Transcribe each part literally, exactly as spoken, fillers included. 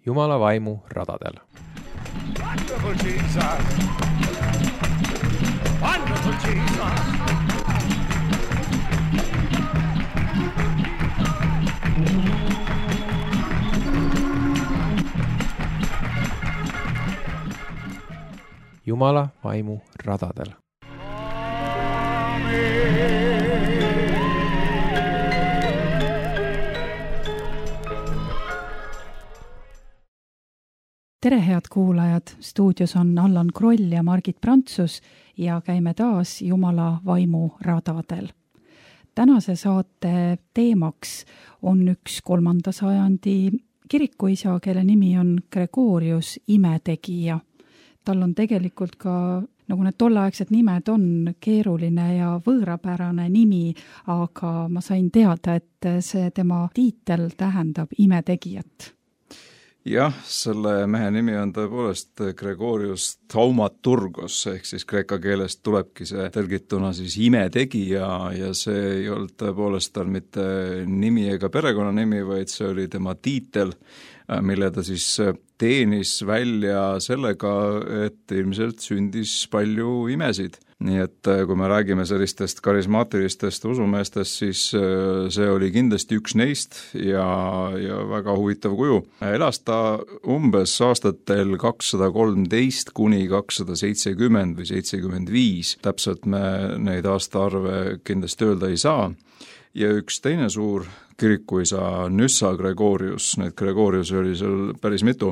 Jumala vaimu radadel. Wonderful Jesus! Wonderful Jesus! Jumala vaimu radadel. Tere head kuulajad, stuudios on Allan Kroll ja Margit Prantsus ja käime taas Jumala vaimu radadel. Tänase saate teemaks on üks kolmanda sajandi kirikuisa, kelle nimi on Gregorius imetegija. Tal on tegelikult ka, nagu need tolleaegsed nimed on, keeruline ja võõrapärane nimi, aga ma sain teada, et see tema tiitel tähendab imetegijat. Jah, selle mehe nimi on tõepoolest Gregorius Thaumaturgos, ehk siis kreeka keelest tulebki see tõlgituna siis imetegija ja see ei olnud tõepoolest tal mitte nimi ega perekonnanimi, vaid see oli tema tiitel, mille ta siis teenis välja sellega, et ilmselt sündis palju imesid. Nii et kui me räägime sellistest karismaatilistest usumeestest, siis see oli kindlasti üks neist ja, ja väga huvitav kuju. Elas ta umbes aastatel kakssada kolmteist kuni kakssada seitsekümmend või seitsekümmend viis. Täpselt me neid aastaarve kindlasti öelda ei saa. Ja üks teine suur kirikuisa Nyssa Gregorius, neid Gregorius oli seal päris mitu,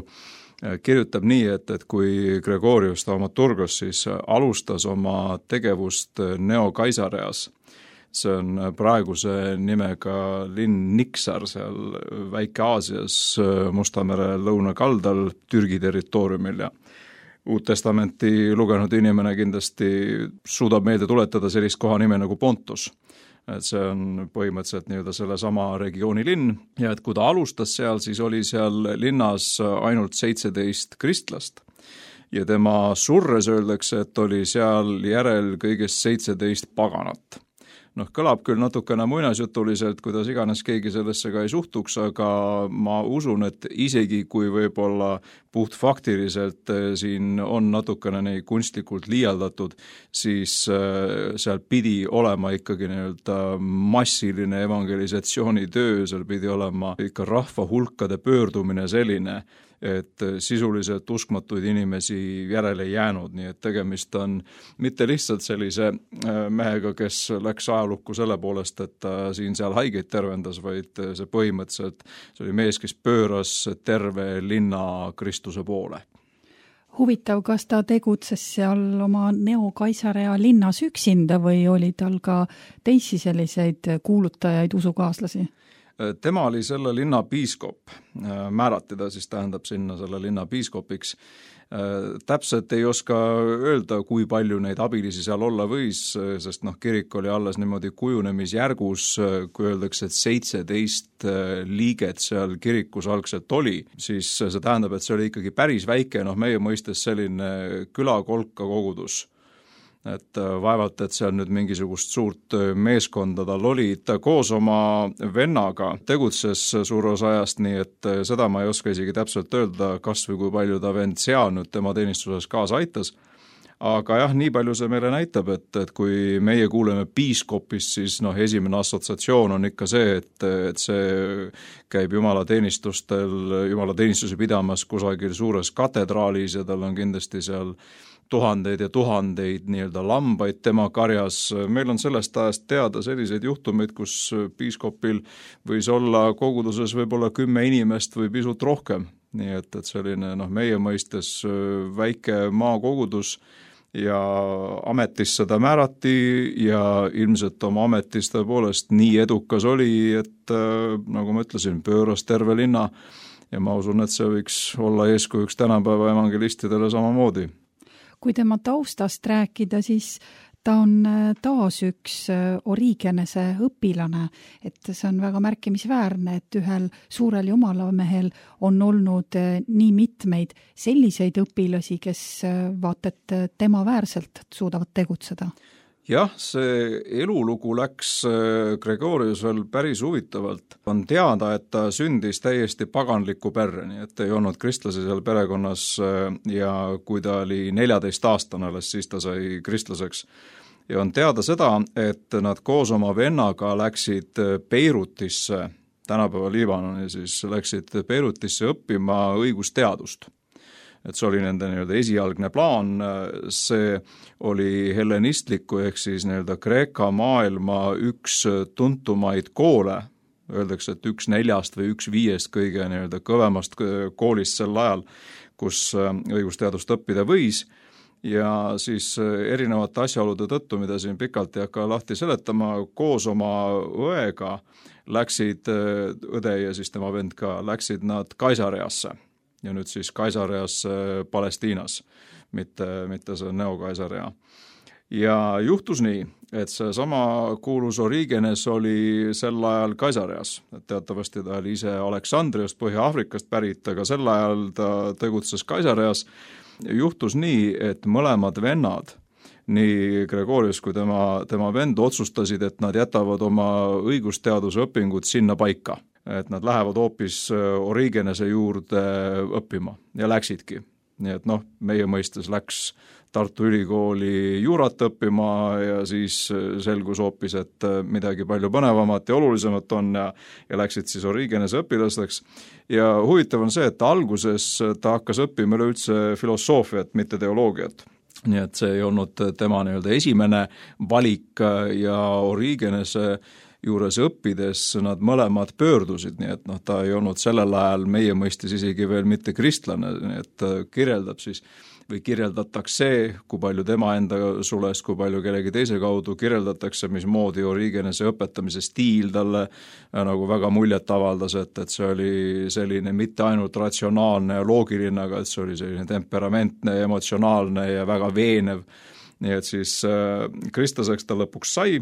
kirjutab nii, et, et kui Gregorius Thaumaturgos siis alustas oma tegevust Neo-Kaisareas, see on praeguse nimega linn Niksar seal Väike-Aasias Mustamere lõunakaldal Türgi territooriumil ja Uut Testamenti lugenud inimene kindlasti suudab meelde tuletada sellist koha nime nagu Pontus. Et see on põhimõtteliselt nii-öelda selle sama regiooni linn ja et kui ta alustas seal, siis oli seal linnas ainult seitseteist kristlast ja tema surres öeldakse, et oli seal järel kõigest seitseteist paganat. Noh, kõlab küll natukene muinasjutuliselt, kuidas iganes keegi sellesse ka ei suhtuks, aga ma usun, et isegi kui võib-olla puhtfaktiliselt siin on natukene neid kunstlikult liialdatud, siis seal pidi olema ikkagi nii-öelda massiline evangelisatsioonitöö, seal pidi olema ikka rahva hulkade pöördumine selline, et sisuliselt uskmatuid inimesi järele jäänud, nii et tegemist on mitte lihtsalt sellise mehega, kes läks ajalukku selle poolest, et ta siin-seal haigeid tervendas, vaid see põhimõtteliselt see oli mees, kes pööras terve linna Kristuse poole. Huvitav, kas ta tegutses seal oma Neo-Kaisarea linnas üksinda või oli tal ka teisi selliseid kuulutajaid usukaaslasi? Tema oli selle linna piiskop, määrati ta siis tähendab sinna selle linna piiskopiks. Täpselt ei oska öelda, kui palju neid abilisi seal olla võis, sest noh, kirik oli alles niimoodi kujunemisjärgus, kui öeldakse, et seitseteist liiget seal kirikus algselt oli, siis see tähendab, et see oli ikkagi päris väike, noh meie mõistes selline külakolka kogudus. Et vaevalt, et seal nüüd mingisugust suurt meeskonda tal oli, ta koos oma vennaga tegutses suur osa ajast, nii et seda ma ei oska isegi täpselt öelda, kas või kui palju ta vend seal nüüd tema teenistuses kaasa aitas. Aga jah, nii palju see meile näitab, et, et kui meie kuuleme piiskopist, siis noh, esimene assotsiatsioon on ikka see, et, et see käib jumala teenistustel, jumala teenistuse pidamas kusagil suures katedraalis ja tal on kindlasti seal tuhandeid ja tuhandeid nii-öelda lambaid tema karjas. Meil on sellest ajast teada selliseid juhtumeid, kus piiskopil võis olla koguduses võib-olla kümme inimest või pisut rohkem. Nii et, et selline noh, meie mõistes väike maakogudus ja ametisse ta määrati ja ilmselt oma ametis tõepoolest nii edukas oli, et nagu ma ütlesin, pööras terve linna ja ma usun, et see võiks olla eeskujuks tänapäeva evangelistidele samamoodi. Kui tema taustast rääkida, siis ta on taas üks Origenese õpilane, et see on väga märkimisväärne, et ühel suurel jumalamehel on olnud nii mitmeid selliseid õpilasi, kes vaat et tema väärselt suudavad tegutseda. jah, see elulugu läks Gregoriusel päris huvitavalt. On teada, et ta sündis täiesti paganliku perre, nii et ei olnud kristlasi seal perekonnas ja kui ta oli neljateist aastane alles, siis ta sai kristlaseks. Ja on teada seda, et nad koos oma vennaga läksid Beirutisse, tänapäeva Liibanoni, siis läksid Beirutisse õppima õigusteadust. Et see oli nende nii-öelda esialgne plaan, see oli hellenistliku ehk siis nii-öelda Kreeka maailma üks tuntumaid koole, öeldakse, et üks neljast või üks viiest kõige nii-öelda kõvemast koolist sel ajal, kus õigusteadust õppida võis, ja siis erinevate asjaolude tõttu, mida siin pikalt ei hakka lahti seletama, koos oma õega läksid, õde ja siis tema vend ka, läksid nad Kaisareasse. Ja nüüd siis Kaisareas Palestiinas, mitte, mitte see Neo-Kaisarea. Ja juhtus nii, et see sama kuulus Origenes oli sel ajal Kaisareas. Teatavasti ta oli ise Aleksandriast, Põhja-Afrikast pärit, aga sel ajal ta tegutses Kaisareas. Juhtus nii, et mõlemad vennad, nii Gregorius kui tema, tema vend otsustasid, et nad jätavad oma õigusteaduse õpingud sinna paika. Et nad lähevad hoopis Origenese juurde õppima ja läksidki. Nii et noh, meie mõistes läks Tartu Ülikooli juurat õppima ja siis selgus hoopis, et midagi palju põnevamat ja olulisemat on ja, ja läksid siis Origenese õpilasteks. Ja huvitav on see, et alguses ta hakkas õppima üleüldse filosoofiat, mitte teoloogiat. Nii et see ei olnud tema nii-öelda esimene valik ja Origenese juures õppides nad mõlemad pöördusid, nii et noh, ta ei olnud sellel ajal meie mõistis isegi veel mitte kristlane, nii et kirjeldab siis või kirjeldatakse, kui palju tema enda sulest, kui palju kellegi teise kaudu kirjeldatakse, mismoodi Origenese õpetamise stiil talle nagu väga muljet avaldas, et, et see oli selline mitte ainult ratsionaalne ja loogiline, aga et see oli selline temperamentne, emotsionaalne ja väga veenev. Nii et siis äh, kristlaseks ta lõpuks sai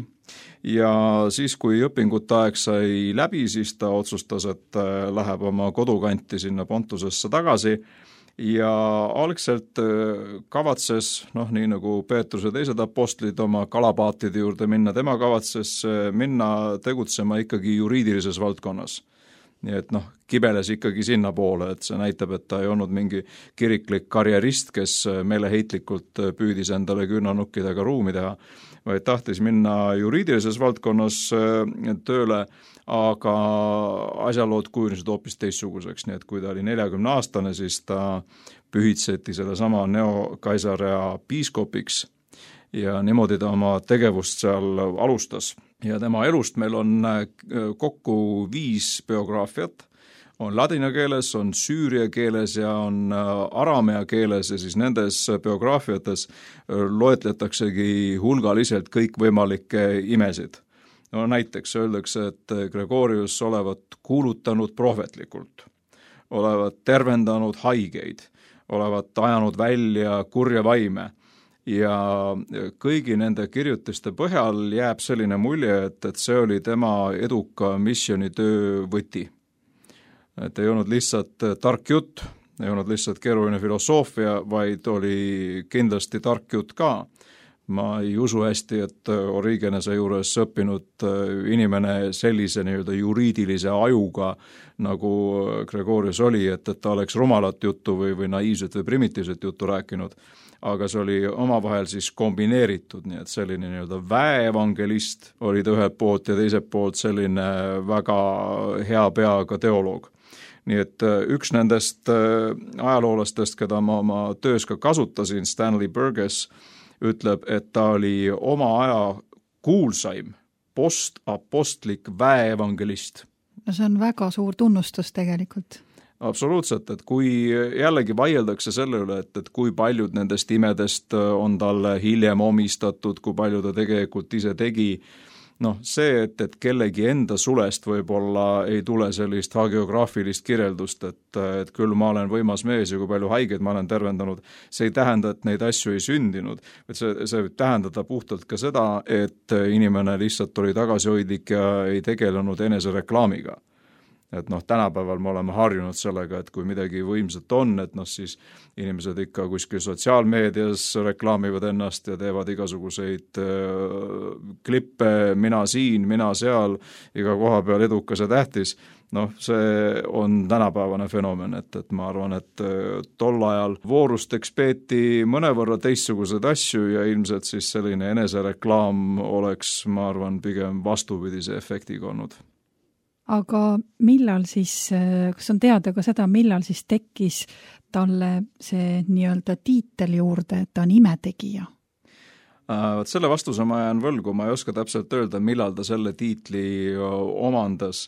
ja siis, kui õpingute aeg sai läbi, siis ta otsustas, et äh, läheb oma kodukanti sinna Pontusesse tagasi ja algselt äh, kavatses, noh nii nagu Peetrus ja teised apostlid oma kalapaatide juurde minna, tema kavatses äh, minna tegutsema ikkagi juriidilises valdkonnas. Nii et noh, kibeles ikkagi sinna poole, et see näitab, et ta ei olnud mingi kiriklik karjerist, kes meeleheitlikult püüdis endale küünnanukkidega ruumi teha, vaid tahtis minna juriidilises valdkonnas tööle, aga asjalood kujunesid hoopis teistsuguseks, nii et kui ta oli neljakümne aastane, siis ta pühitseti selle sama Neo-Kaisarea piiskopiks ja niimoodi ta oma tegevust seal alustas. Ja tema elust meil on kokku viis biograafiat, on ladina keeles, on süüria keeles ja on aramea keeles ja siis nendes biograafiates loetletaksegi hulgaliselt kõikvõimalikke imesid. No näiteks öeldakse, et Gregorius olevat kuulutanud prohvetlikult, olevat tervendanud haigeid, olevat ajanud välja kurja vaime. Ja kõigi nende kirjutiste põhjal jääb selline mulje, et, et see oli tema eduka missioonitöö võti. Et ei olnud lihtsalt tark jutt, ei olnud lihtsalt keeruline filosoofia, vaid oli kindlasti tark jutt ka. Ma ei usu hästi, et Origenese juures õppinud inimene sellise nii-öelda juriidilise ajuga, nagu Gregorius oli, et, et ta oleks rumalat juttu või, või naiivset või primitiivset juttu rääkinud. Aga see oli omavahel siis kombineeritud, nii et selline nii-öelda väeevangelist oli ta ühelt poolt ja teiselt poolt selline väga hea peaga teoloog. Nii et üks nendest ajaloolastest, keda ma oma töös ka kasutasin, Stanley Burgess, ütleb, et ta oli oma aja kuulsaim postapostlik väeevangelist. No see on väga suur tunnustus tegelikult. Absoluutselt, et kui jällegi vaieldakse selle üle, et, et kui paljud nendest imedest on talle hiljem omistatud, kui palju ta tegelikult ise tegi, noh see, et, et kellegi enda sulest võib-olla ei tule sellist hagiograafilist kirjeldust, et, et küll ma olen võimas mees ja kui palju haigeid ma olen tervendanud, see ei tähenda, et neid asju ei sündinud, et see, see võib tähendada puhtalt ka seda, et inimene lihtsalt oli tagasihoidlik ja ei tegelenud enesereklaamiga. et noh, tänapäeval me oleme harjunud sellega, et kui midagi võimsat on, et noh, siis inimesed ikka kuskil sotsiaalmeedias reklaamivad ennast ja teevad igasuguseid äh, klippe, mina siin, mina seal, iga koha peal edukas ja tähtis. Noh, see on tänapäevane fenomen, et, et ma arvan, et tol ajal voorusteks peeti mõnevõrra teistsugused asju ja ilmselt siis selline enesereklaam oleks, ma arvan, pigem vastupidise efektiga olnud. Aga millal siis, kas on teada ka seda, millal siis tekkis talle see nii-öelda tiitel juurde, et ta on imetegija? Võt selle vastuse ma jään võlgu, ma ei oska täpselt öelda, millal ta selle tiitli omandas.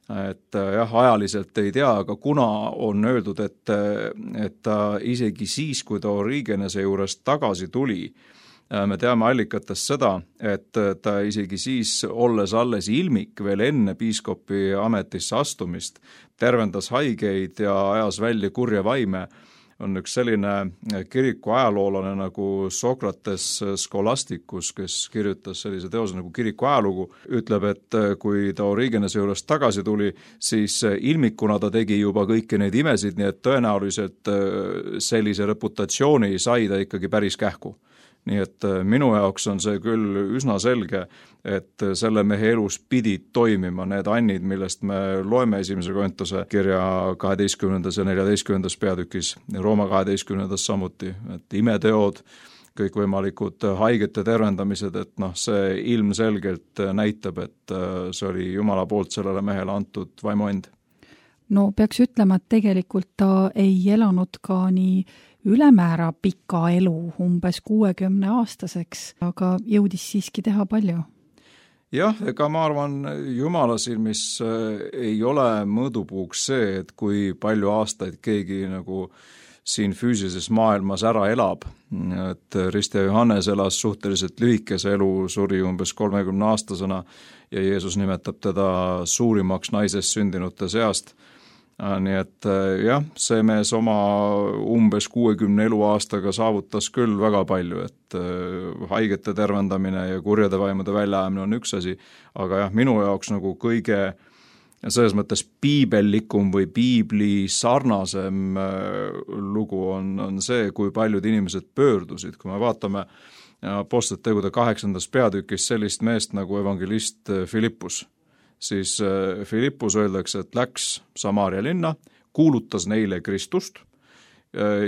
Et jah, ajaliselt ei tea, aga kuna on öeldud, et, et ta isegi siis, kui ta Origenese juurest tagasi tuli, me teame allikatest seda, et ta isegi siis, olles alles ilmik veel enne piiskopi ametisse astumist, tervendas haigeid ja ajas välja kurja vaime. On üks selline kiriku ajaloolane nagu Sokrates Scholasticus, kes kirjutas sellise teose nagu kiriku ajalugu, ütleb, et kui ta Origenese juurest tagasi tuli, siis ilmikuna ta tegi juba kõiki neid imesid, nii et tõenäoliselt sellise reputatsiooni sai ta ikkagi päris kähku. Nii et minu jaoks on see küll üsna selge, et selle mehe elus pidid toimima need annid, millest me loeme esimese Korintuse kirja kaheteistkümnendas ja neljateistkümnendas peatükis, Rooma kaheteistkümnendas samuti, et imeteod, kõikvõimalikud haigete tervendamised, et noh, see ilmselgelt näitab, et see oli Jumala poolt sellele mehele antud vaimuand. No peaks ütlema, et tegelikult ta ei elanud ka nii ülemäära pika elu, umbes kuuekümne aastaseks, aga jõudis siiski teha palju. Jah, ega ma arvan, Jumala silmis ei ole mõõdupuuks see, et kui palju aastaid keegi nagu siin füüsilises maailmas ära elab. Et Riste Johannes elas suhteliselt lühikese elu, suri umbes kolmekümne aastasena ja Jeesus nimetab teda suurimaks naisest sündinute seast. Nii et jah, see mees oma umbes kuuekümne eluaastaga saavutas küll väga palju, et haigete tervendamine ja kurjade vaimude väljaajamine on üks asi, aga jah, minu jaoks nagu kõige selles mõttes piibellikum või piibli sarnasem lugu on, on see, kui paljud inimesed pöördusid, kui me vaatame Apostlite tegude kaheksandas peatükis sellist meest nagu evangelist Filippus, siis Filippus öeldakse, et läks Samaaria linna, kuulutas neile Kristust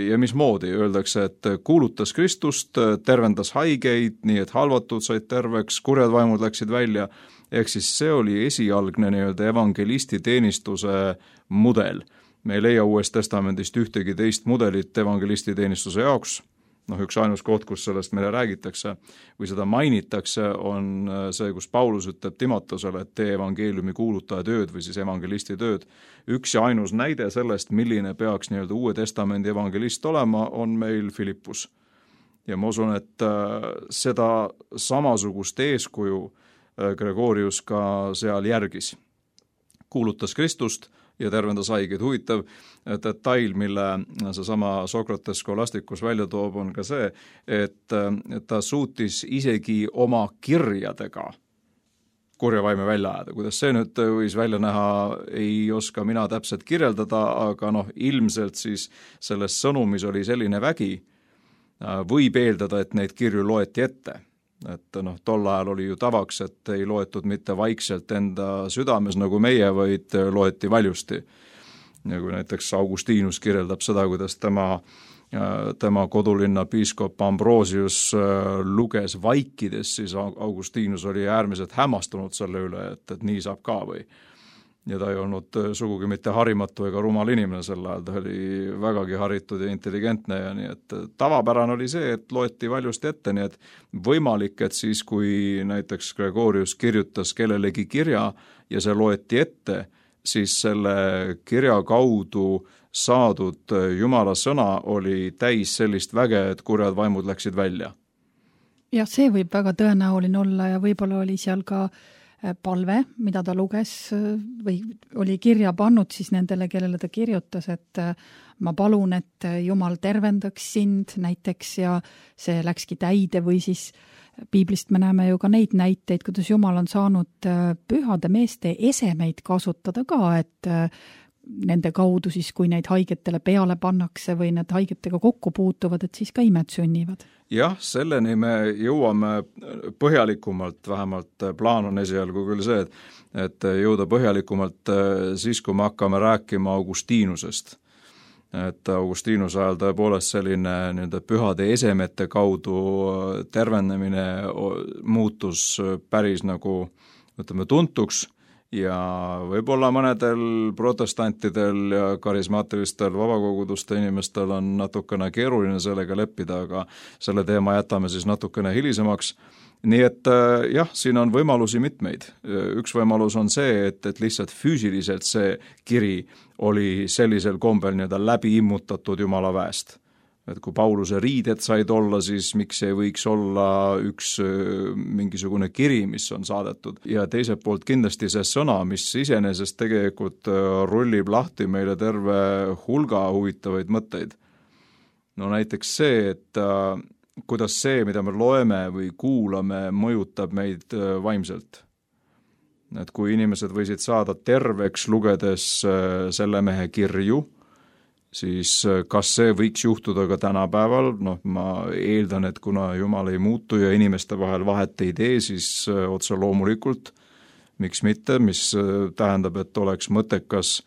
ja mismoodi öeldakse, et kuulutas Kristust, tervendas haigeid, nii et halvatud said terveks, kurjad vaimud läksid välja, ehk siis see oli esialgne nii-öelda evangelisti teenistuse mudel. Me ei leia Uuest Testamendist ühtegi teist mudelit evangelisti teenistuse jaoks. Noh, üks ainus koht, kus sellest meile räägitakse või seda mainitakse, on see, kus Paulus ütleb Timotosele, et tee evangeeliumi kuulutaja tööd või siis evangelisti tööd. Üks ja ainus näide sellest, milline peaks nii-öelda Uue Testamendi evangelist olema, on meil Filippus. Ja ma usun, et seda samasugust eeskuju Gregorius ka seal järgis. Kuulutas Kristust ja tervendas haigeid. Huvitav detail, mille seesama Sokrates Scholasticus välja toob, on ka see, et ta suutis isegi oma kirjadega kurja vaime välja ajada. Kuidas see nüüd võis välja näha, ei oska mina täpselt kirjeldada, aga noh, ilmselt siis selles sõnumis oli selline vägi, võib eeldada, et neid kirju loeti ette. Et noh, tol ajal oli ju tavaks, et ei loetud mitte vaikselt enda südames nagu meie, vaid loeti valjusti. Ja kui näiteks Augustinus kirjeldab seda, kuidas tema, tema kodulinna piiskop Ambrosius luges vaikides, siis Augustinus oli äärmiselt hämmastunud selle üle, et, et nii saab ka või. Ja ta ei olnud sugugi mitte harimatu ega rumal inimene sel ajal, ta oli vägagi haritud ja intelligentne ja nii, et tavapärane oli see, et loeti valjusti ette, nii et võimalik, et siis kui näiteks Gregorius kirjutas kellelegi kirja ja see loeti ette, siis selle kirja kaudu saadud Jumala sõna oli täis sellist väge, et kurjad vaimud läksid välja. Jah, see võib väga tõenäoline olla ja võib-olla oli seal ka palve, mida ta luges või oli kirja pannud siis nendele, kellele ta kirjutas, et ma palun, et Jumal tervendaks sind näiteks ja see läkski täide või siis Piiblist me näeme ju ka neid näiteid, kuidas Jumal on saanud pühade meeste esemeid kasutada ka, et nende kaudu siis, kui neid haigetele peale pannakse või need haigetega kokku puutuvad, et siis ka imed sünnivad. Jah, selleni me jõuame põhjalikumalt, vähemalt plaan on esialgu küll see, et, et jõuda põhjalikumalt siis, kui me hakkame rääkima Augustiinusest. Et Augustiinuse ajal tõepoolest selline nii-öelda pühade esemete kaudu tervenemine muutus päris nagu, ütleme, tuntuks ja võib-olla mõnedel protestantidel ja karismaatilistel vabakoguduste inimestel on natukene keeruline sellega leppida, aga selle teema jätame siis natukene hilisemaks. Nii et jah, siin on võimalusi mitmeid. Üks võimalus on see, et, et lihtsalt füüsiliselt see kiri oli sellisel kombel nii-öelda läbi immutatud Jumala väest. Et kui Pauluse riided said olla, siis miks ei võiks olla üks mingisugune kiri, mis on saadetud. Ja teiselt poolt kindlasti see sõna, mis iseenesest tegelikult rullib lahti meile terve hulga huvitavaid mõtteid. No näiteks see, et kuidas see, mida me loeme või kuulame, mõjutab meid vaimselt. Et kui inimesed võisid saada terveks lugedes selle mehe kirju, siis kas see võiks juhtuda ka tänapäeval? Noh, ma eeldan, et kuna Jumal ei muutu ja inimeste vahel vahet ei tee, siis otse loomulikult, miks mitte, mis tähendab, et oleks mõttekas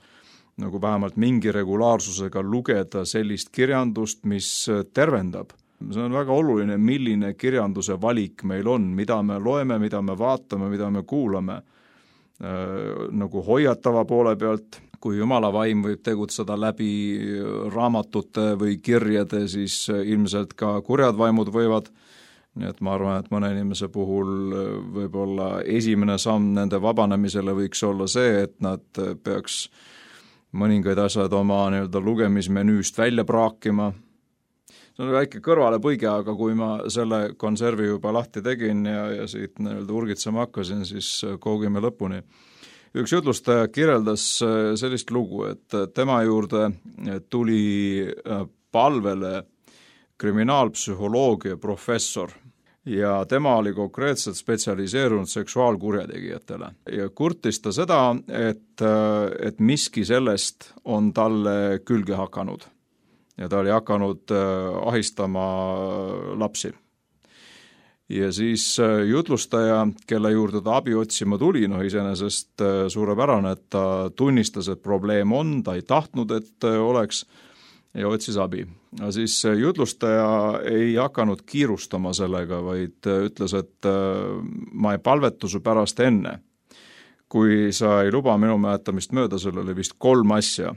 nagu vähemalt mingi regulaarsusega lugeda sellist kirjandust, mis tervendab. See on väga oluline, milline kirjanduse valik meil on, mida me loeme, mida me vaatame, mida me kuulame. Nagu hoiatava poole pealt, kui Jumala vaim võib tegutseda läbi raamatute või kirjade, siis ilmselt ka kurjad vaimud võivad. Nii et ma arvan, et mõne inimese puhul võib-olla esimene samm nende vabanemisele võiks olla see, et nad peaks mõningaid asjad oma nii-öelda lugemismenüüst välja praakima. See on väike kõrvalepõige, aga kui ma selle konservi juba lahti tegin ja, ja siit nii-öelda urgitsema hakkasin, siis koogime lõpuni. Üks jutlustaja kirjeldas sellist lugu, et tema juurde tuli palvele kriminaalpsühholoogia professor ja tema oli konkreetselt spetsialiseerunud seksuaalkurjategijatele. Ja kurtis ta seda, et, et miski sellest on talle külge hakanud. Ja ta oli hakanud ahistama lapsi. Ja siis jutlustaja, kelle juurde ta abi otsima tuli, no iseenesest suurepärane, et ta tunnistas, et probleem on, ta ei tahtnud, et oleks ja otsis abi. Ja siis jutlustaja ei hakanud kiirustama sellega, vaid ütles, et ma ei palvetu su pärast enne. Kui sa ei luba minu mäletamist mööda, sul oli vist kolm asja.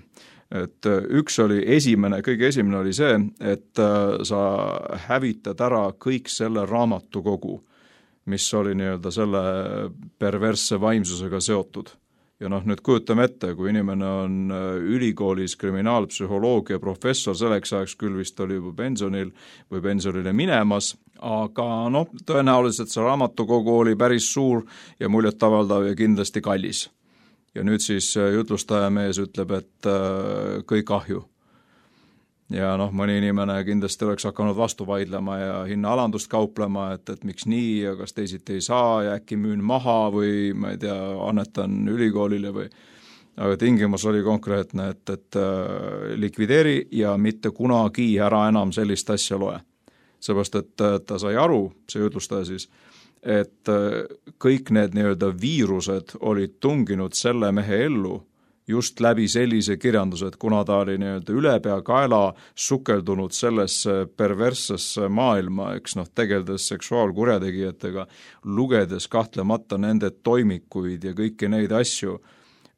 Et üks oli esimene, kõige esimene oli see, et sa hävitad ära kõik selle raamatukogu, mis oli nii-öelda selle perversse vaimsusega seotud. Ja noh, nüüd kujutame ette, kui inimene on ülikoolis kriminaalpsühholoogia professor, selleks ajaks küll vist oli juba pensionil või pensionile minemas, aga noh, tõenäoliselt see raamatukogu oli päris suur ja muljetavaldav ja kindlasti kallis. Ja nüüd siis jutlustaja mees ütleb, et kõik ahju. Ja noh, mõni inimene kindlasti oleks hakanud vastu vaidlema ja hinna alandust kauplema, et, et miks nii ja kas teisiti ei saa ja äkki müün maha või ma ei tea, annetan ülikoolile või. Aga tingimus oli konkreetne, et, et likvideeri ja mitte kunagi ära enam sellist asja loe. Seepärast, et ta sai aru, see jutlustaja siis, et kõik need nii-öelda viirused olid tunginud selle mehe ellu just läbi sellise kirjanduse, et kuna ta oli nii-öelda ülepea kaela sukeldunud sellesse perverssesse maailma, eks noh, tegeldes seksuaalkurjategijatega, lugedes kahtlemata nende toimikuid ja kõiki neid asju,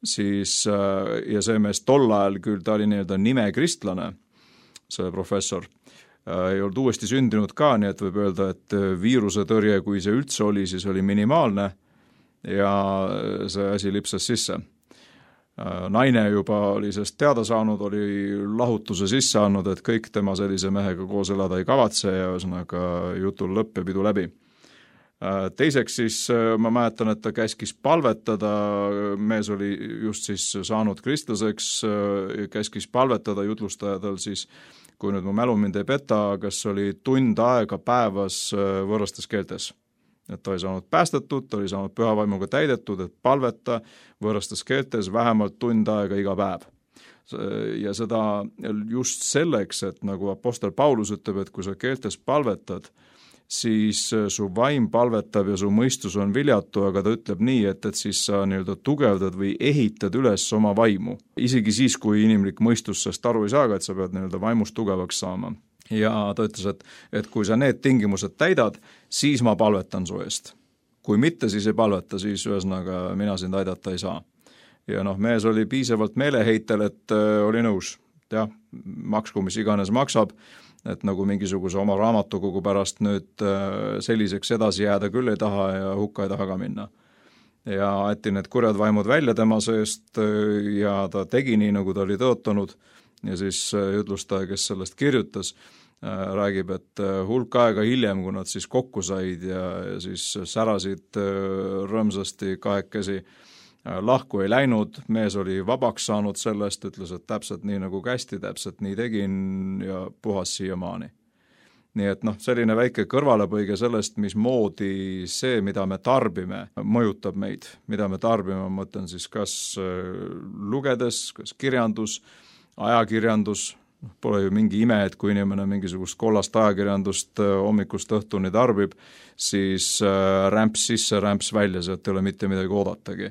siis ja see mees tol ajal küll, ta oli nii-öelda nimekristlane, see professor, ei olnud uuesti sündinud ka, nii et võib öelda, et viiruse tõrje, kui see üldse oli, siis oli minimaalne ja see asi lipsas sisse. Naine juba oli sest teada saanud, oli lahutuse sisse andnud, et kõik tema sellise mehega koos elada ei kavatse ja ühesõnaga jutul lõpp ja pidu läbi. Teiseks siis ma mäletan, et ta käskis palvetada, mees oli just siis saanud kristlaseks, käskis palvetada jutlustajadel siis, kui nüüd mu mälu mind ei peta, kas oli tund aega päevas võõrastes keeltes. et ta oli saanud päästetud, ta oli saanud pühavaimuga täidetud, et palveta võõrastes keeltes vähemalt tund aega iga päev. Ja seda just selleks, et nagu apostel Paulus ütleb, et kui sa keeltes palvetad, siis su vaim palvetab ja su mõistus on viljatu, aga ta ütleb nii, et, et siis sa nii-öelda tugevdad või ehitad üles oma vaimu. Isegi siis, kui inimlik mõistus sest aru ei saaga, et sa pead nii-öelda vaimust tugevaks saama. Ja ta ütles, et, et kui sa need tingimused täidad, siis ma palvetan su eest. Kui mitte, siis ei palveta, siis ühesõnaga mina sind aidata ei saa. Ja noh, mees oli piisavalt meeleheitel, et äh, oli nõus. Jah, maksku, mis iganes maksab, et nagu mingisuguse oma raamatukogu pärast nüüd äh, selliseks edasi jääda küll ei taha ja hukka ei taha ka minna. Ja ätti need kurjad vaimud välja tema seest äh, ja ta tegi nii, nagu ta oli tõotanud. Ja siis jutlustaja, kes sellest kirjutas, räägib, et hulk aega hiljem, kui nad siis kokku said ja, ja siis särasid rõõmsasti kahekesi, lahku ei läinud, mees oli vabaks saanud sellest, ütles, et täpselt nii nagu kästi, täpselt nii tegin ja puhas siiamaani. Nii et noh, selline väike kõrvalepõige sellest, mismoodi see, mida me tarbime, mõjutab meid. Mida me tarbime, ma mõtlen siis kas lugedes, kas kirjandus, ajakirjandus, pole ju mingi ime, et kui inimene mingisugust kollast ajakirjandust hommikust õhtuni tarbib, siis rämps sisse, rämps välja, sealt ei ole mitte midagi oodatagi.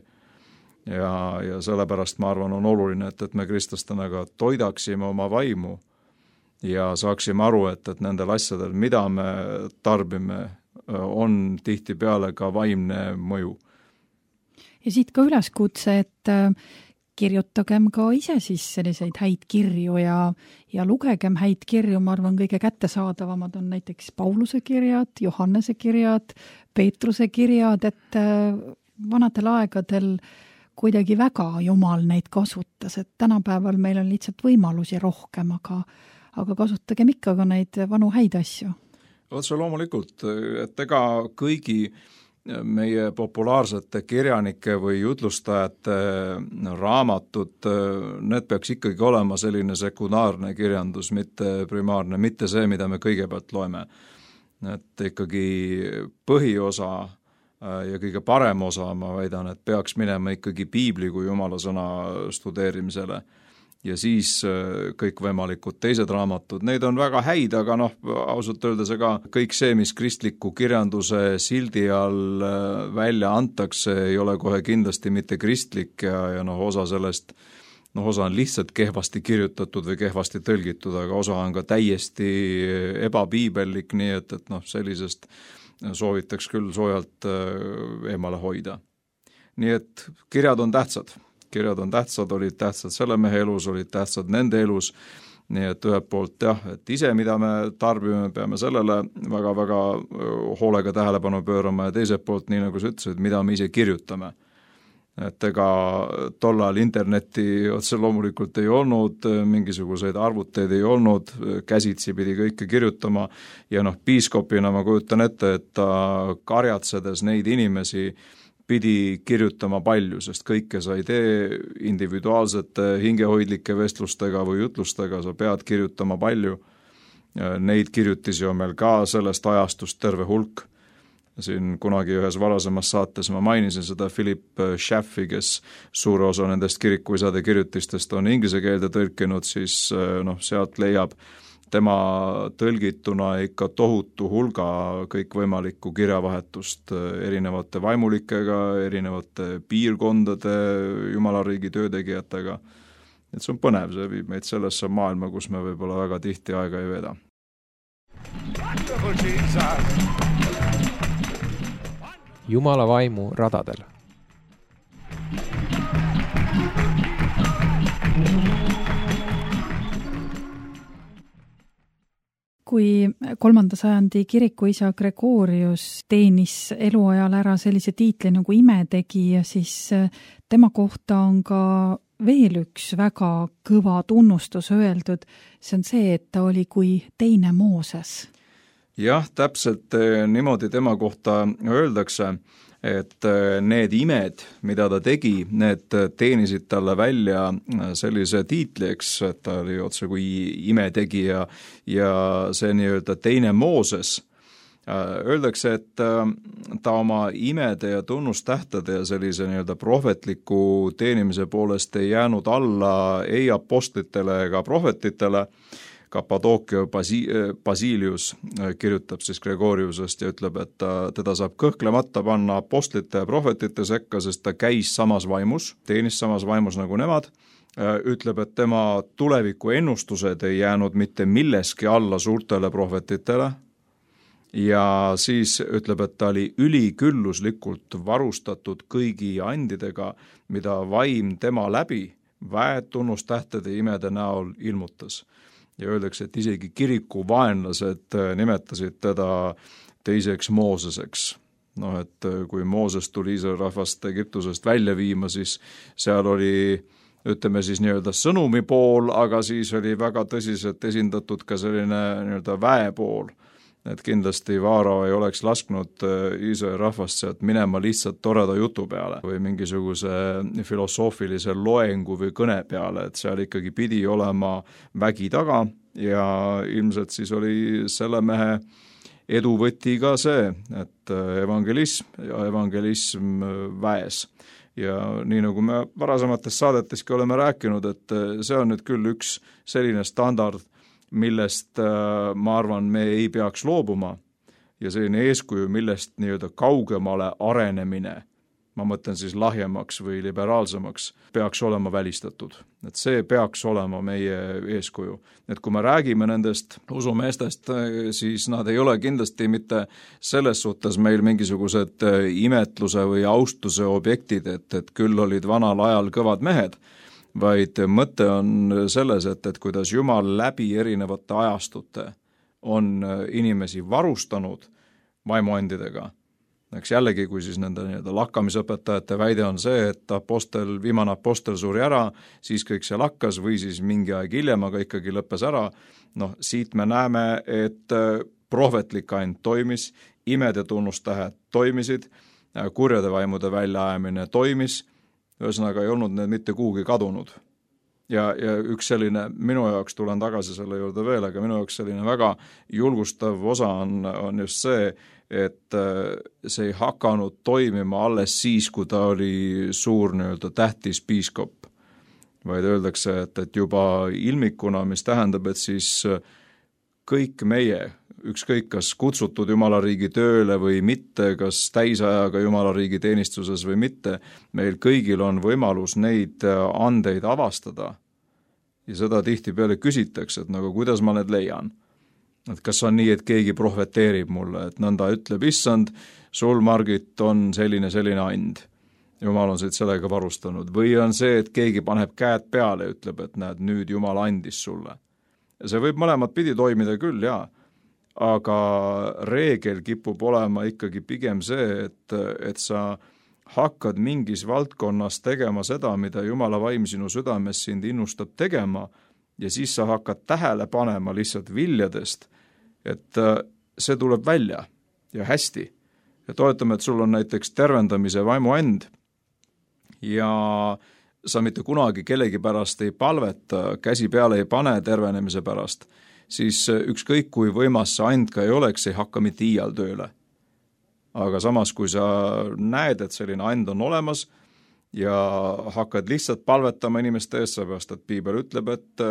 Ja, ja sellepärast ma arvan, on oluline, et, et me kristlastena ka toidaksime oma vaimu ja saaksime aru, et, et nendel asjadel, mida me tarbime, on tihtipeale ka vaimne mõju. Ja siit ka üleskutse, et kirjutagem ka ise siis selliseid häid kirju ja, ja lugegem häid kirju, ma arvan, kõige kättesaadavamad on näiteks Pauluse kirjad, Johannese kirjad, Peetruse kirjad, et vanadel aegadel kuidagi väga Jumal neid kasutas, et tänapäeval meil on lihtsalt võimalusi rohkem, aga, aga kasutagem ikka ka neid vanu häid asju. Otse loomulikult, et ega kõigi meie populaarsete kirjanike või jutlustajate raamatud, need peaks ikkagi olema selline sekundaarne kirjandus, mitte primaarne, mitte see, mida me kõigepealt loeme. Et ikkagi põhiosa ja kõige parem osa, ma väidan, et peaks minema ikkagi piibli kui Jumala sõna studeerimisele. Ja siis kõikvõimalikud teised raamatud, neid on väga häid, aga noh, ausalt öeldes ega kõik see, mis kristliku kirjanduse sildi all välja antakse, ei ole kohe kindlasti mitte kristlik ja, ja noh, osa sellest, noh, osa on lihtsalt kehvasti kirjutatud või kehvasti tõlgitud, aga osa on ka täiesti ebapiibellik, nii et, et noh, sellisest soovitaks küll soojalt eemale hoida. Nii et kirjad on tähtsad. Kirjad on tähtsad, olid tähtsad selle mehe elus, olid tähtsad nende elus, nii et ühelt poolt jah, et ise, mida me tarbime, peame sellele väga-väga hoolega tähelepanu pöörama ja teiselt poolt, nii nagu sa ütlesid, mida me ise kirjutame. Et ega tollal interneti otse loomulikult ei olnud, mingisuguseid arvuteid ei olnud, käsitsi pidi kõike kirjutama ja noh, piiskopina ma kujutan ette, et ta karjatsedes neid inimesi pidi kirjutama palju, sest kõike sa ei tee individuaalsete hingehoidlike vestlustega või jutlustega, sa pead kirjutama palju. Neid kirjutisi on meil ka sellest ajastust terve hulk. Siin kunagi ühes varasemas saates ma mainisin seda Philip Schaffi, kes suure osa nendest kirikuisade kirjutistest on inglise keelde tõlkinud, siis noh, sealt leiab tema tõlgituna ikka tohutu hulga kõikvõimalikku kirjavahetust erinevate vaimulikega, erinevate piirkondade, Jumalariigi töötegijatega. Et see on põnev, see viib meid sellesse maailma, kus me võib-olla väga tihti aega ei veeda. Jumala vaimu radadel. Kui kolmanda sajandi kirikuisa Gregorius teenis eluajal ära sellise tiitli nagu imetegija, siis tema kohta on ka veel üks väga kõva tunnustus öeldud. See on see, et ta oli kui teine Mooses. Jah, täpselt niimoodi tema kohta öeldakse, et need imed, mida ta tegi, need teenisid talle välja sellise tiitli, eks, et ta oli otse kui imetegija ja see nii-öelda teine Mooses, Öeldakse, et ta oma imede ja tunnustähtede ja sellise nii-öelda prohvetliku teenimise poolest ei jäänud alla ei apostlitele ega prohvetitele. Kappadookia Basi-, Basilius kirjutab siis Gregoriusest ja ütleb, et ta, teda saab kõhklemata panna apostlite ja prohvetite sekka, sest ta käis samas vaimus, teenis samas vaimus nagu nemad. Ütleb, et tema tuleviku ennustused ei jäänud mitte milleski alla suurtele prohvetitele ja siis ütleb, et ta oli ülikülluslikult varustatud kõigi andidega, mida vaim tema läbi väed tunnustähtede imede näol ilmutas. Ja öeldakse, et isegi kiriku vaenlased nimetasid teda teiseks Mooseseks. Noh, et kui Mooses tuli Iisraeli rahvast Egiptusest välja viima, siis seal oli, ütleme siis nii-öelda sõnumi pool, aga siis oli väga tõsiselt esindatud ka selline nii-öelda väe pool. Et kindlasti Vaaro ei oleks lasknud Iisraeli rahvast sealt minema lihtsalt toreda jutu peale või mingisuguse filosoofilise loengu või kõne peale, et seal ikkagi pidi olema vägi taga ja ilmselt siis oli selle mehe eduvõti ka see, et evangelism ja evangelism väes. Ja nii nagu me varasemates saadeteski oleme rääkinud, et see on nüüd küll üks selline standard, millest ma arvan, me ei peaks loobuma ja selline eeskuju, millest nii-öelda kaugemale arenemine, ma mõtlen siis lahjemaks või liberaalsemaks, peaks olema välistatud. Et see peaks olema meie eeskuju. Et kui me räägime nendest usumeestest, siis nad ei ole kindlasti mitte selles suhtes meil mingisugused imetluse või austuse objektid, et, et küll olid vanal ajal kõvad mehed, vaid mõte on selles, et, et kuidas Jumal läbi erinevate ajastute on inimesi varustanud vaimuandidega. Eks jällegi, kui siis nende nii-öelda lakkamisõpetajate väide on see, et apostel, viimane apostel suri ära, siis kõik see lakkas või siis mingi aeg hiljem, aga ikkagi lõppes ära. Noh, siit me näeme, et prohvetlik and toimis, imed ja tunnustähed toimisid, kurjade vaimude väljaajamine toimis, ühesõnaga ei olnud need mitte kuhugi kadunud. Ja, ja üks selline, minu jaoks tulen tagasi selle juurde veel, aga minu jaoks selline väga julgustav osa on, on just see, et see ei hakanud toimima alles siis, kui ta oli suur nii-öelda tähtis piiskop. Vaid öeldakse, et, et juba ilmikuna, mis tähendab, et siis kõik meie, ükskõik kas kutsutud Jumala riigi tööle või mitte, kas täisajaga Jumala riigi teenistuses või mitte, meil kõigil on võimalus neid andeid avastada. Ja seda tihtipeale küsitakse, et nagu kuidas ma need leian. Et kas on nii, et keegi prohveteerib mulle, et nõnda ütleb, issand, sul, Margit, on selline, selline and. Jumal on siit sellega varustanud. Või on see, et keegi paneb käed peale ja ütleb, et näed, nüüd Jumal andis sulle. Ja see võib mõlemad pidi toimida küll, jaa. Aga reegel kipub olema ikkagi pigem see, et, et sa hakkad mingis valdkonnas tegema seda, mida Jumala vaim sinu südames sind innustab tegema ja siis sa hakkad tähele panema lihtsalt viljadest, et see tuleb välja ja hästi. Ja toetame, et sul on näiteks tervendamise vaimuand ja sa mitte kunagi kellegi pärast ei palveta, käsi peale ei pane tervenemise pärast, siis ükskõik kui võimas see and ka ei oleks, ei hakka mitte iial tööle. Aga samas, kui sa näed, et selline and on olemas ja hakkad lihtsalt palvetama inimeste eest, seepärast, et Piibel ütleb, et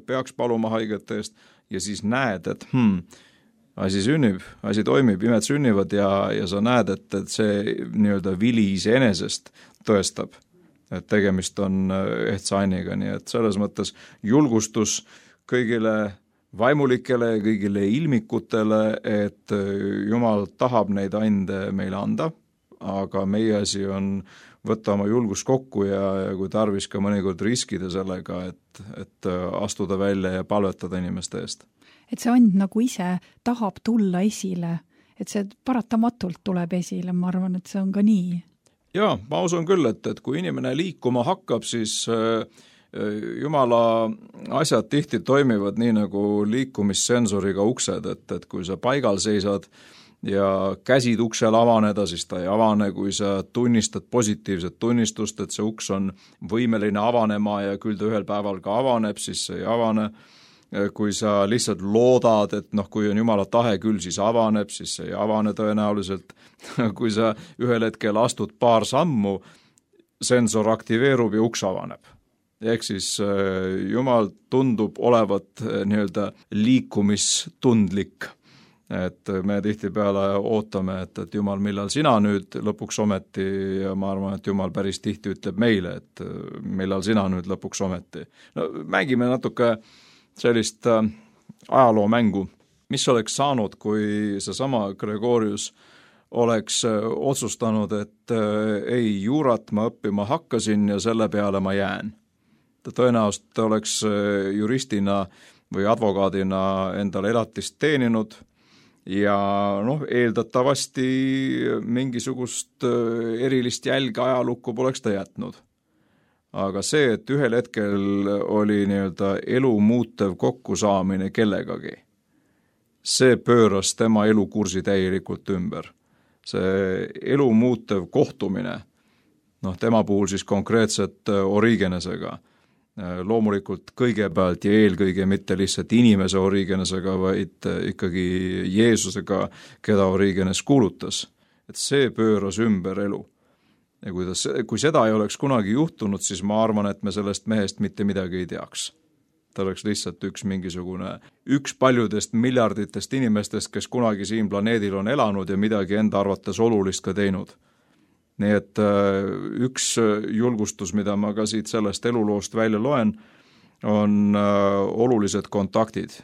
peaks paluma haigete eest ja siis näed, et hmm, asi sünnib, asi toimib, imed sünnivad ja, ja sa näed, et, et see nii-öelda vili iseenesest tõestab, et tegemist on ehtsa anniga, nii et selles mõttes julgustus kõigile vaimulikele ja kõigile ilmikutele, et Jumal tahab neid ande meile anda, aga meie asi on võtta oma julgus kokku ja, ja kui tarvis ka mõnikord riskida sellega, et, et astuda välja ja palvetada inimeste eest. Et see and nagu ise tahab tulla esile, et see paratamatult tuleb esile, ma arvan, et see on ka nii. Jaa, ma usun küll, et, et kui inimene liikuma hakkab, siis äh, Jumala asjad tihti toimivad nii nagu liikumissensoriga uksed, et, et kui sa paigal seisad ja käsid uksel avaneda, siis ta ei avane, kui sa tunnistad positiivset tunnistust, et see uks on võimeline avanema ja küll ta ühel päeval ka avaneb, siis see ei avane. kui sa lihtsalt loodad, et noh, kui on Jumala tahe küll, siis avaneb, siis see ei avane tõenäoliselt. Kui sa ühel hetkel astud paar sammu, sensor aktiveerub ja uks avaneb. Ehk siis Jumal tundub olevat nii-öelda liikumistundlik. Et me tihtipeale ootame, et, et Jumal, millal sina nüüd lõpuks ometi, ja ma arvan, et Jumal päris tihti ütleb meile, et millal sina nüüd lõpuks ometi. No, mängime natuke sellist ajaloomängu, mis oleks saanud, kui seesama Gregorius oleks otsustanud, et ei, juurat ma õppima hakkasin ja selle peale ma jään. Ta tõenäoliselt oleks juristina või advokaadina endale elatist teeninud ja noh, eeldatavasti mingisugust erilist jälge ajalukku poleks ta jätnud. Aga see, et ühel hetkel oli nii-öelda elu muutev kokkusaamine kellegagi, see pööras tema elukursi täielikult ümber. See elu muutev kohtumine, noh, tema puhul siis konkreetselt Origenesega, loomulikult kõigepealt ja eelkõige mitte lihtsalt inimese Origenesega, vaid ikkagi Jeesusega, keda Origenes kuulutas, et see pööras ümber elu. Ja kui, ta, kui seda ei oleks kunagi juhtunud, siis ma arvan, et me sellest mehest mitte midagi ei teaks. Ta oleks lihtsalt üks mingisugune, üks paljudest miljarditest inimestest, kes kunagi siin planeedil on elanud ja midagi enda arvates olulist ka teinud. Nii et üks julgustus, mida ma ka siit sellest eluloost välja loen, on olulised kontaktid.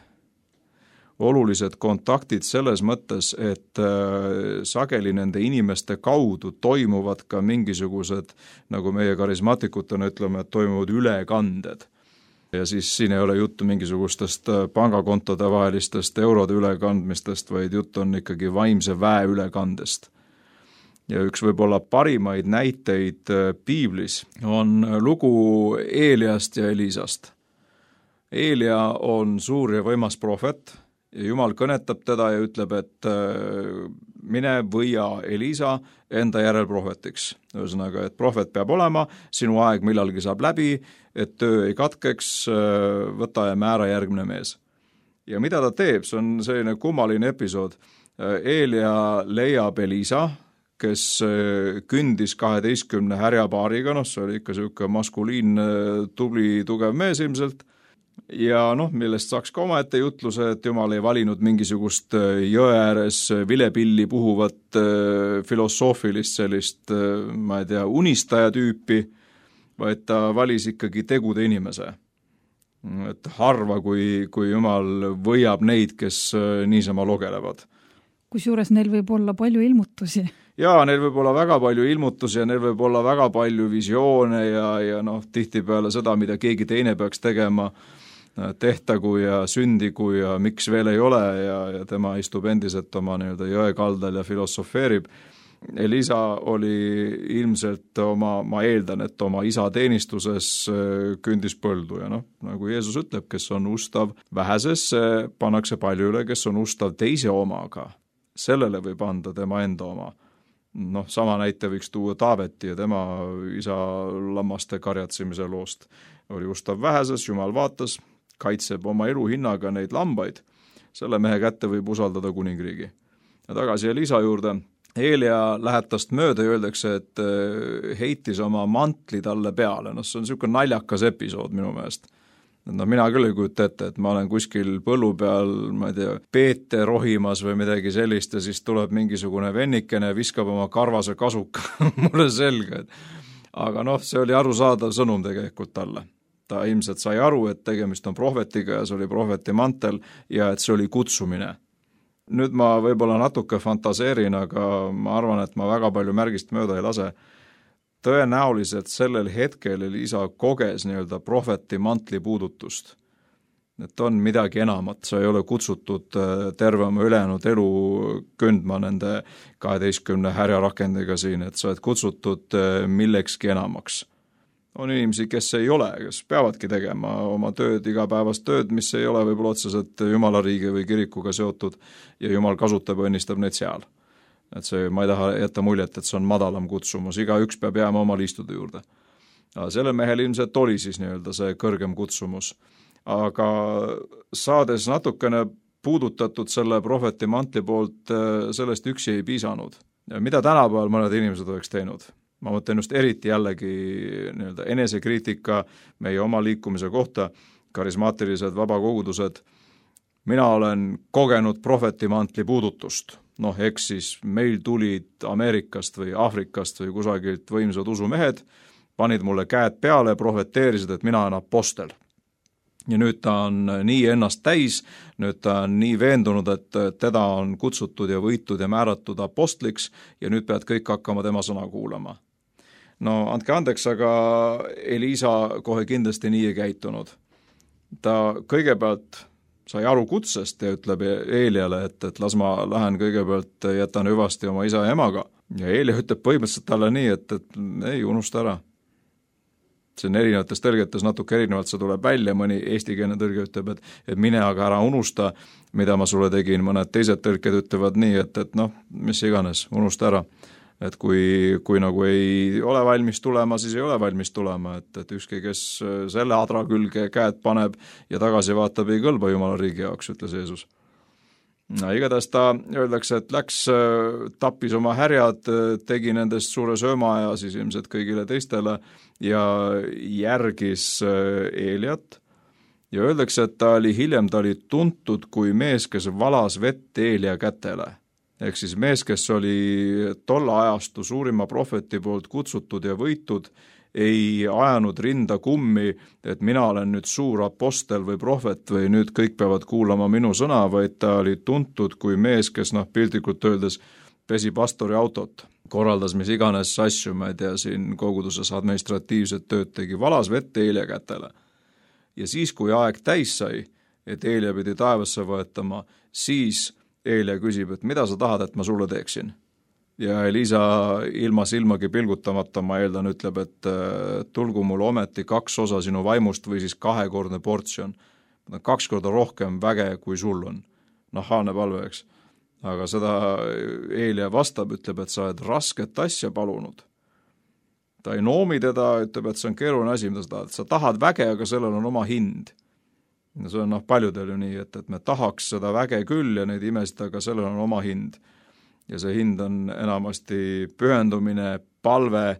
Olulised kontaktid selles mõttes, et sageli nende inimeste kaudu toimuvad ka mingisugused, nagu meie karismaatikutena ütleme, et toimuvad ülekanded. Ja siis siin ei ole juttu mingisugustest pangakontode vahelistest eurode ülekandmistest, vaid jutt on ikkagi vaimse väe ülekandest. Ja üks võib-olla parimaid näiteid piiblis on lugu Eeliast ja Elisast. Eelia on suur ja võimas prohvet, ja Jumal kõnetab teda ja ütleb, et mine võia Elisa enda järel prohvetiks. Ühesõnaga, et prohvet peab olema, sinu aeg millalgi saab läbi, et töö ei katkeks, võta ja määra järgmine mees. Ja mida ta teeb, see on selline kummaline episood. Eelia leiab Elisa, kes kündis kaheteistkümne härjapaariga, noh, see oli ikka selline maskuliin, tubli, tugev mees ilmselt, ja noh, millest saaks ka omaette jutluse, et Jumal ei valinud mingisugust jõe ääres vilepilli puhuvat filosoofilist sellist, ma ei tea, unistaja tüüpi, vaid ta valis ikkagi tegude inimese. Et harva, kui, kui Jumal võiab neid, kes niisama logelevad. Kusjuures neil võib olla palju ilmutusi. Jaa, neil võib olla väga palju ilmutusi ja neil võib olla väga palju visioone ja, ja noh, tihtipeale seda, mida keegi teine peaks tegema, tehtagu ja sündigu ja miks veel ei ole ja, ja tema istub endiselt oma nii-öelda jõekaldal ja filosofeerib. Elisa oli ilmselt oma, ma eeldan, et oma isa teenistuses kündis põldu ja noh, nagu Jeesus ütleb, kes on ustav väheses, pannakse palju üle, kes on ustav teise omaga. Sellele võib anda tema enda oma. Noh, sama näite võiks tuua Taaveti ja tema isa lammaste karjatsemise loost. Oli ustav väheses, Jumal vaatas, kaitseb oma elu hinnaga neid lambaid. Selle mehe kätte võib usaldada kuningriigi. Ja tagasi Elisa juurde. Eelia läheb tast mööda ja öeldakse, et heitis oma mantli talle peale. No see on selline naljakas episood minu meelest. No mina küll ei kujuta ette, et ma olen kuskil põllu peal, ma ei tea, peete rohimas või midagi sellist ja siis tuleb mingisugune vennikene, viskab oma karvase kasuka mulle selga. Aga noh, see oli arusaadav sõnum tegelikult talle. Ta ilmselt sai aru, et tegemist on prohvetiga ja see oli prohveti mantel ja et see oli kutsumine. Nüüd ma võib-olla natuke fantaseerin, aga ma arvan, et ma väga palju märgist mööda ei lase. Tõenäoliselt sellel hetkel Elisa koges nii-öelda prohveti mantli puudutust. Et on midagi enamat, sa ei ole kutsutud terve oma ülejäänud elu kündma nende kaheteistkümne härjarakendiga siin, et sa oled kutsutud millekski enamaks. On inimesi, kes ei ole, kes peavadki tegema oma tööd, igapäevast tööd, mis ei ole võib-olla otseselt Jumala riigi või kirikuga seotud ja Jumal kasutab ja õnnistab neid seal. Et see, ma ei taha jätta muljet, et see on madalam kutsumus, iga üks peab jääma oma liistude juurde. Sellel mehel ilmselt oli siis nii-öelda see kõrgem kutsumus. aga saades natukene puudutatud selle prohveti mantli poolt, sellest üksi ei piisanud. Mida tänapäeval mõned inimesed oleks teinud? Ma mõtlen just eriti jällegi nii-öelda enesekriitika meie oma liikumise kohta, karismaatilised vabakogudused. Mina olen kogenud prohveti mantli puudutust. Noh, eks siis meil tulid Ameerikast või Aafrikast või kusagilt võimsad usumehed, panid mulle käed peale ja prohveteerisid, et mina olen apostel. Ja nüüd ta on nii ennast täis, nüüd ta on nii veendunud, et teda on kutsutud ja võitud ja määratud apostliks ja nüüd pead kõik hakkama tema sõna kuulama. No andke andeks, aga Elisa kohe kindlasti nii ei käitunud. Ta kõigepealt sai aru kutsest ja ütleb Eeliale, et, et las ma lähen kõigepealt, jätan hüvasti oma isa ja emaga. Ja Eelia ütleb põhimõtteliselt talle nii, et, et ei, unusta ära. See on erinevates tõlgetes natuke erinevalt, see tuleb välja, mõni eestikeelne tõlge ütleb, et, et mine aga ära unusta, mida ma sulle tegin, mõned teised tõlked ütlevad nii, et, et noh, mis iganes, unusta ära. Et kui, kui nagu ei ole valmis tulema, siis ei ole valmis tulema, et, et ükski, kes selle adra külge käed paneb ja tagasi vaatab, ei kõlba Jumala riigi jaoks, ütles Jeesus. No, igatahes ta öeldakse, et läks, tappis oma härjad, tegi nendest suure sööma ja siis ilmselt kõigile teistele ja järgis Eeliat. Ja öeldakse, et ta oli hiljem, ta oli tuntud kui mees, kes valas vett Eelia kätele. Ehk siis mees, kes oli tolla ajastu suurima prohveti poolt kutsutud ja võitud, ei ajanud rinda kummi, et mina olen nüüd suur apostel või prohvet või nüüd kõik peavad kuulama minu sõna, vaid ta oli tuntud kui mees, kes noh, piltlikult öeldes pesi pastori autot, korraldas mis iganes asju, ma ei tea, siin koguduses administratiivset tööd tegi, valas vett Eelia kätele. Ja siis, kui aeg täis sai, et Eelia pidi taevasse võetama, siis Eelia küsib, et mida sa tahad, et ma sulle teeksin? Ja Elisa ilma silmagi pilgutamata, ma eeldan, ütleb, et tulgu mul ometi kaks osa sinu vaimust või siis kahekordne portsjon. Kaks korda rohkem väge, kui sul on. Nahaalne palve, eks. Aga seda Eelia vastab, ütleb, et sa oled rasket asja palunud. Ta ei noomi teda, ütleb, et see on keeruline asi, mida sa tahad. Sa tahad väge, aga sellel on oma hind. Ja see on noh, paljudel ju nii, et, et me tahaks seda väge küll ja neid imesid, aga sellel on oma hind. Ja see hind on enamasti pühendumine, palve,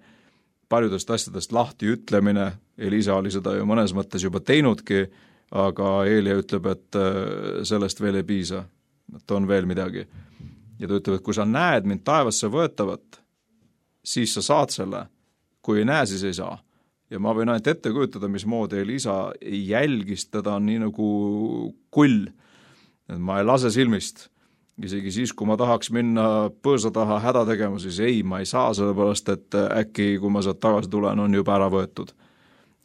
paljudest asjadest lahti ütlemine. Elisa oli seda ju mõnes mõttes juba teinudki, aga Eelia ütleb, et sellest veel ei piisa, et on veel midagi. Ja ta ütleb, et kui sa näed mind taevasse võetavat, siis sa saad selle, kui ei näe, siis ei saa. Ja ma võin ainult ette kujutada, mismoodi Elisa jälgis teda nii nagu kull. Et ma ei lase silmist. Isegi siis, kui ma tahaks minna põõsa taha häda tegema, siis ei, ma ei saa, sellepärast, et äkki, kui ma sealt tagasi tulen, on juba ära võetud.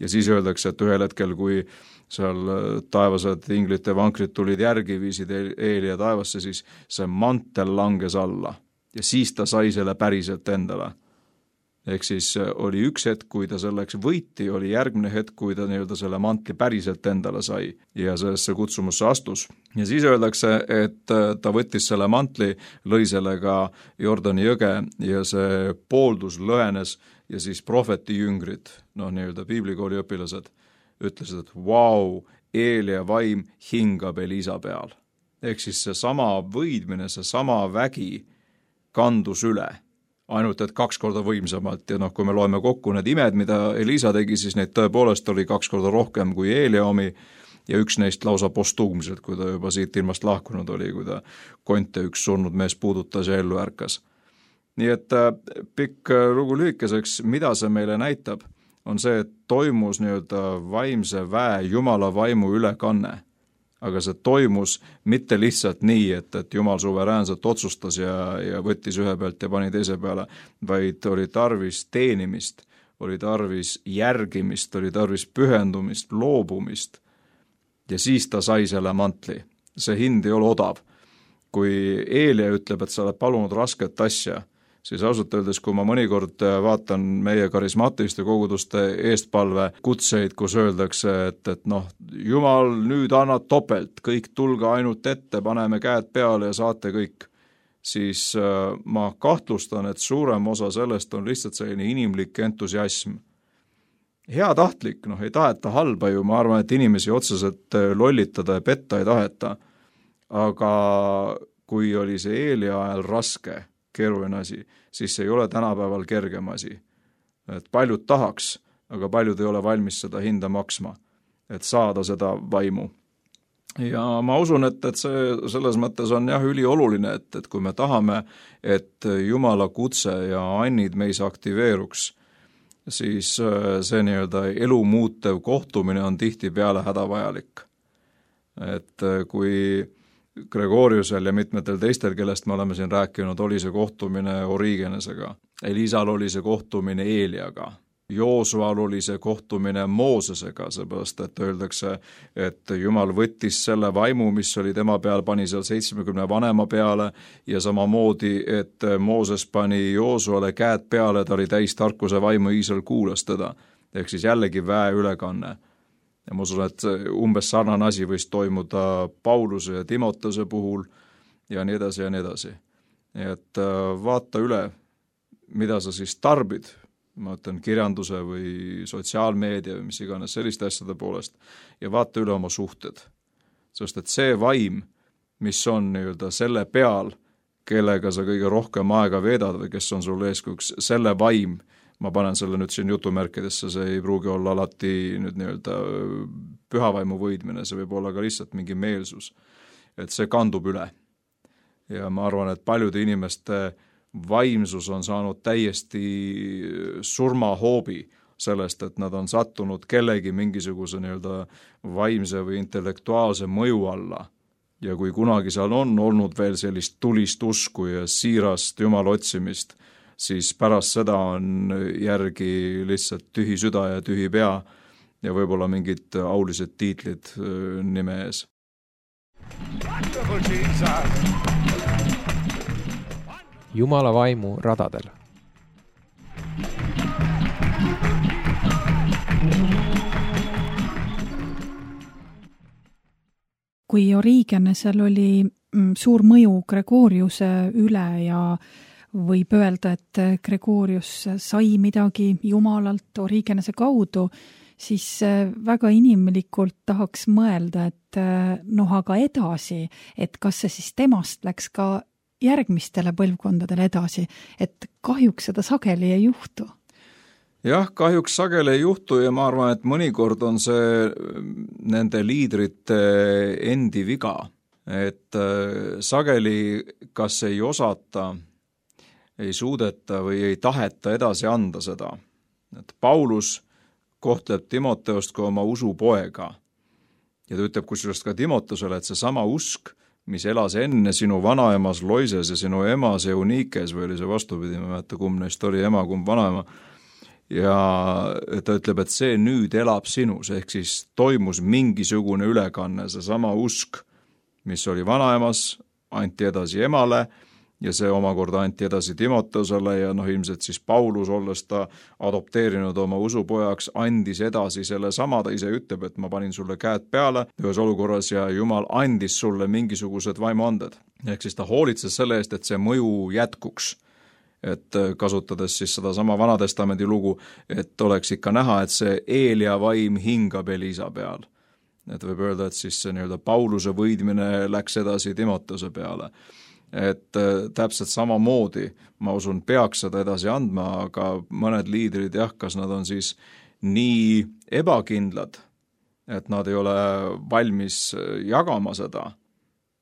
Ja siis öeldakse, et ühel hetkel, kui seal taevased inglite vankrid tulid järgi, viisid Eelia taevasse, siis see mantel langes alla. Ja siis ta sai selle päriselt endale. Ehk siis oli üks hetk, kui ta selleks võiti, oli järgmine hetk, kui ta nii-öelda selle mantli päriselt endale sai ja sellesse kutsumusse astus. Ja siis öeldakse, et ta võttis selle mantli, lõi sellega Jordani jõge ja see pooldus lõhenes ja siis prohveti jüngrid, noh nii-öelda piiblikooli õpilased, ütlesid, et vau, Eelia vaim hingab Elisa peal. Ehk siis see sama võidmine, see sama vägi kandus üle. Ainult, et kaks korda võimsamalt ja noh, kui me loeme kokku need imed, mida Elisa tegi, siis neid tõepoolest oli kaks korda rohkem kui Eelia omi ja üks neist lausa postuumselt, kui ta juba siit ilmast lahkunud oli, kui ta konte üks surnud mees puudutas ja ellu ärkas. Nii et pikk lugu lühikeseks, mida see meile näitab, on see, et toimus nii-öelda vaimse väe Jumala vaimu ülekanne. Aga see toimus mitte lihtsalt nii, et, et Jumal suveräänselt otsustas ja, ja võttis ühe pealt ja pani teise peale, vaid oli tarvis teenimist, oli tarvis järgimist, oli tarvis pühendumist, loobumist. Ja siis ta sai selle mantli. See hind ei ole odav. Kui Eelia ütleb, et sa oled palunud rasket asja, siis ausalt öeldes, kui ma mõnikord vaatan meie karismaatiliste koguduste eestpalve kutseid, kus öeldakse, et, et noh, Jumal nüüd annab topelt, kõik tulge ainult ette, paneme käed peale ja saate kõik, siis ma kahtlustan, et suurem osa sellest on lihtsalt selline inimlik entusiasm. heatahtlik, noh ei taheta halba ju, ma arvan, et inimesi otseselt lollitada ja petta ei taheta, aga kui oli see Eelia ajal raske, keeruline asi, siis see ei ole tänapäeval kergem asi. Et paljud tahaks, aga paljud ei ole valmis seda hinda maksma, et saada seda vaimu. Ja ma usun, et, et see selles mõttes on jah ülioluline, et, et kui me tahame, et Jumala kutse ja annid meis aktiveeruks, siis see nii-öelda elu muutev kohtumine on tihtipeale hädavajalik. Et kui Gregoriusel ja mitmetel teistel, kellest me oleme siin rääkinud, oli see kohtumine Origenesega, Elisal oli see kohtumine Eeliaga, Joosual oli see kohtumine Moosesega, seepärast, et öeldakse, et Jumal võttis selle vaimu, mis oli tema peal, pani seal seitsmekümne vanema peale ja samamoodi, et Mooses pani Joosuale käed peale, ta oli täis tarkuse vaimu, Iisrael kuulas teda. Ehk siis jällegi väe ülekanne. Ja ma usun, et umbes sarnane asi võis toimuda Pauluse ja Timotese puhul ja nii edasi ja nii edasi. Et vaata üle, mida sa siis tarbid, ma ütlen kirjanduse või sotsiaalmeedia või mis iganes selliste asjade poolest, ja vaata üle oma suhted. Sest et see vaim, mis on nii-öelda selle peal, kellega sa kõige rohkem aega veedad või kes on sul eeskujuks, selle vaim, ma panen selle nüüd siin jutumärkidesse, see ei pruugi olla alati nüüd nii-öelda pühavaimu võidmine, see võib olla ka lihtsalt mingi meelsus, et see kandub üle. Ja ma arvan, et paljude inimeste vaimsus on saanud täiesti surmahoobi sellest, et nad on sattunud kellegi mingisuguse nii-öelda vaimse või intellektuaalse mõju alla. Ja kui kunagi seal on olnud veel sellist tulist usku ja siirast Jumala otsimist, siis pärast seda on järgi lihtsalt tühi süda ja tühi pea ja võib-olla mingid aulised tiitlid nime ees. Wonderful Jesus! Jumala vaimu radadel. Kui Origenesel oli suur mõju Gregoriuse üle ja võib öelda, et Gregorius sai midagi Jumalalt Origenese kaudu, siis väga inimlikult tahaks mõelda, et noh, aga edasi, et kas see siis temast läks ka järgmistele põlvkondadele edasi, et kahjuks seda sageli ei juhtu. Jah, kahjuks sageli ei juhtu ja ma arvan, et mõnikord on see nende liidrite endi viga, et sageli kas ei osata, ei suudeta või ei taheta edasi anda seda. Et Paulus kohtleb Timoteost kui oma usupoega ja ta ütleb kusjuures ka Timotesele, et see sama usk, mis elas enne sinu vanaemas Loises ja sinu emas Eunikes, või oli see vastupidi, ma mäeta, kumb neist oli ema, kumb vanaema, ja ta ütleb, et see nüüd elab sinus, ehk siis toimus mingisugune ülekanne, see sama usk, mis oli vanaemas, anti edasi emale, ja see omakorda anti edasi Timotesele ja noh, ilmselt siis Paulus, olles ta adopteerinud oma usupojaks, andis edasi selle sama, ta ise ütleb, et ma panin sulle käed peale ühes olukorras ja Jumal andis sulle mingisugused vaimuanded. Ehk siis ta hoolitses selle eest, et see mõju jätkuks. Et kasutades siis seda sama Vanatestamendi lugu, et oleks ikka näha, et see Eelia vaim hingab Elisa peal. Et võib öelda, et siis see nii-öelda Pauluse võidmine läks edasi Timotese peale. Et täpselt samamoodi, ma usun, peaks seda edasi andma, aga mõned liidrid jah, kas nad on siis nii ebakindlad, et nad ei ole valmis jagama seda.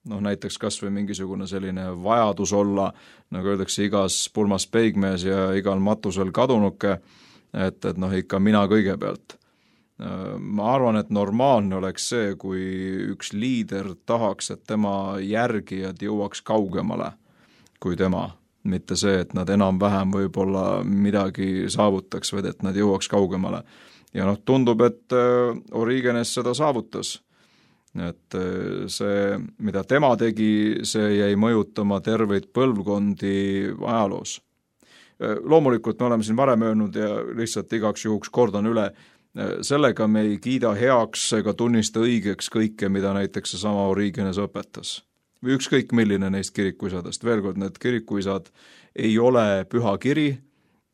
Noh, näiteks kas või mingisugune selline vajadus olla, nagu öeldakse, igas pulmas peigmees ja igal matusel kadunuke, et, et noh, ikka mina kõigepealt. Ma arvan, et normaalne oleks see, kui üks liider tahaks, et tema järgijad jõuaks kaugemale kui tema. Mitte see, et nad enam-vähem võib-olla midagi saavutaks, vaid et nad jõuaks kaugemale. Ja noh, tundub, et Origenes seda saavutas. Et see, mida tema tegi, see jäi mõjutama terveid põlvkondi ajaloos. Loomulikult me oleme siin varem öelnud ja lihtsalt igaks juhuks kordan üle, sellega me ei kiida heaks ega tunnista õigeks kõike, mida näiteks see sama Origenes õpetas. Või ükskõik milline neist kirikuisadest. Veel kord, need kirikuisad ei ole püha kiri,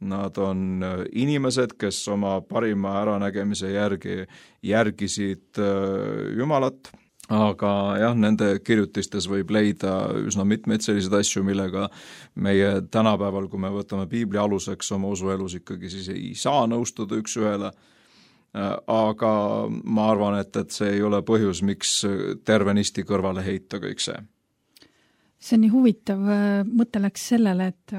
nad on inimesed, kes oma parima äranägemise järgi järgisid Jumalat, aga jah, nende kirjutistes võib leida üsna mitmeid selliseid asju, millega meie tänapäeval, kui me võtame piibli aluseks oma usuelus, ikkagi siis ei saa nõustuda üks ühele, aga ma arvan, et, et see ei ole põhjus, miks tervenisti kõrvale heita kõik see. See on nii huvitav, mõte läks sellele, et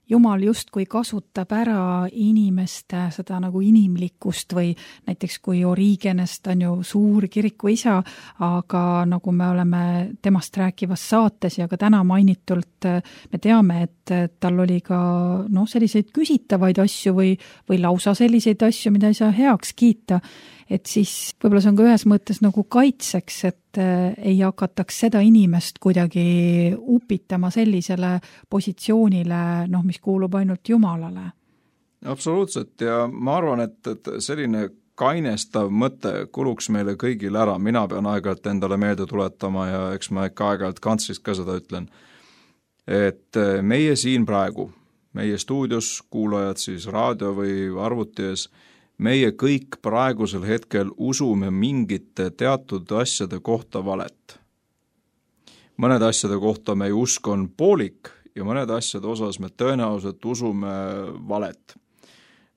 Jumal justkui kasutab ära inimeste seda nagu inimlikkust või näiteks kui Origenest on ju suur kiriku isa, aga nagu me oleme temast rääkivas saates ja ka täna mainitult me teame, et tal oli ka no, selliseid küsitavaid asju või, või lausa selliseid asju, mida ei saa heaks kiita, et siis võib-olla see on ka ühes mõttes nagu kaitseks, et ei hakataks seda inimest kuidagi upitama sellisele positsioonile, noh, mis kuulub ainult Jumalale. Absoluutselt ja ma arvan, et, et selline kainestav mõte kuluks meile kõigile ära, mina pean aeg-ajalt endale meelde tuletama ja eks ma ikka aeg-ajalt kantsist ka seda ütlen, et meie siin praegu, meie stuudios kuulajad siis raadio või arvuti ees, meie kõik praegusel hetkel usume mingite teatud asjade kohta valet. Mõned asjade kohta meie usk on poolik ja mõned asjade osas me tõenäoliselt usume valet.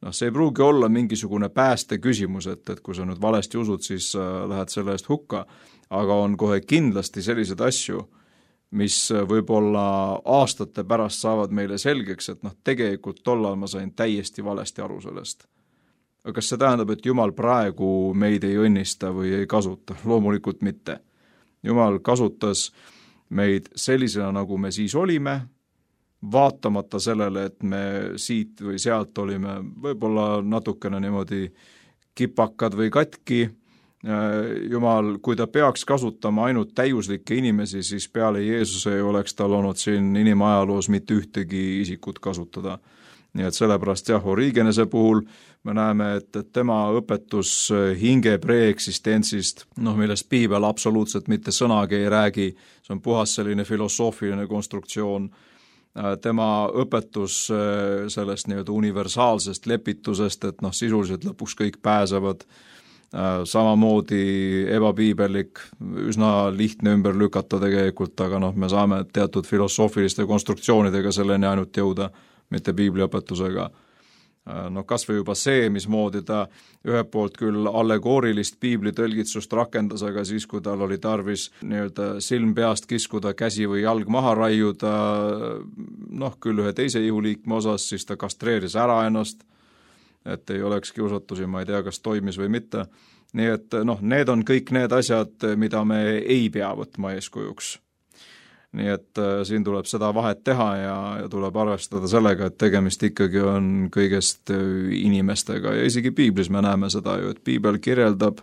No, see ei pruugi olla mingisugune pääste küsimus, et, et kui sa nüüd valesti usud, siis lähed selle eest hukka, aga on kohe kindlasti sellised asju, mis võib-olla aastate pärast saavad meile selgeks, et noh, tegelikult tollal ma sain täiesti valesti aru sellest. Aga kas see tähendab, et Jumal praegu meid ei õnnista või ei kasuta? Loomulikult mitte. Jumal kasutas meid sellisena, nagu me siis olime, vaatamata sellele, et me siit või sealt olime võib-olla natukene niimoodi kipakad või katki. Jumal, kui ta peaks kasutama ainult täiuslikke inimesi, siis peale Jeesuse ei oleks tal olnud siin inimajaloos mitte ühtegi isikut kasutada. Nii et sellepärast jah, Origenese puhul me näeme, et, et tema õpetus hinge preeksistentsist, noh, millest piibel absoluutselt mitte sõnagi ei räägi, see on puhas selline filosoofiline konstruktsioon, tema õpetus sellest nii-öelda universaalsest lepitusest, et noh, sisuliselt lõpuks kõik pääsevad, samamoodi ebapiibellik, üsna lihtne ümber lükata tegelikult, aga noh, me saame teatud filosoofiliste konstruktsioonidega selleni ainult jõuda, mitte piibliõpetusega. No kas või juba see, mismoodi ta ühelt poolt küll allegoorilist piibli tõlgitsust rakendas, aga siis, kui tal oli tarvis nii-öelda silm peast kiskuda, käsi või jalg maha raiuda, noh, küll ühe teise ihuliikme osas, siis ta kastreeris ära ennast, et ei oleks kiusatusi, ma ei tea, kas toimis või mitte. Nii et noh, need on kõik need asjad, mida me ei pea võtma eeskujuks. Nii et äh, siin tuleb seda vahet teha ja, ja tuleb arvestada sellega, et tegemist ikkagi on kõigest inimestega ja isegi piiblis me näeme seda ju, et piibel kirjeldab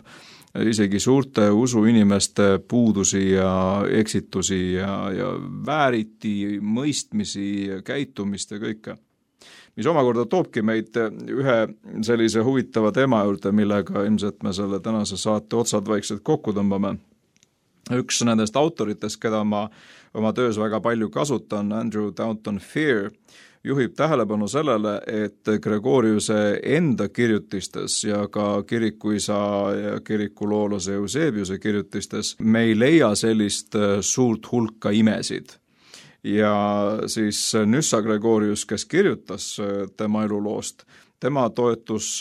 isegi suurte usuinimeste puudusi ja eksitusi ja, ja vääriti mõistmisi ja käitumist ja kõike. Mis omakorda toobki meid ühe sellise huvitava teema juurde, millega ilmselt me selle tänase saate otsad vaikselt kokku tõmbame. Üks nendest autoritest, keda ma oma töös väga palju kasutan, Andrew Downton Fear, juhib tähelepanu sellele, et Gregoriuse enda kirjutistes ja ka kirikuisa ja kirikuloolase Eusebiuse kirjutistes me ei leia sellist suurt hulka imesid. Ja siis Nyssa Gregorius, kes kirjutas tema eluloost, tema toetus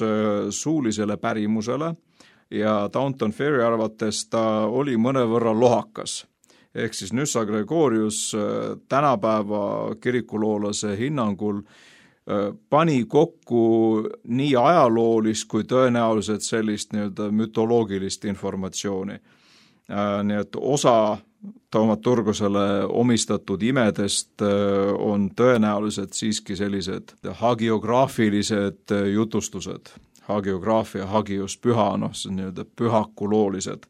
suulisele pärimusele, ja Downton Ferry arvates ta oli mõnevõrra lohakas. Ehk siis Nyssa Gregorius tänapäeva kirikuloolase hinnangul pani kokku nii ajaloolist kui tõenäoliselt sellist nii-öelda mütoloogilist informatsiooni. Nii et osa Taumaturgusele omistatud imedest on tõenäoliselt siiski sellised hagiograafilised jutustused. Hagiograafia, hagios püha, noh, see on nii-öelda pühakuloolised.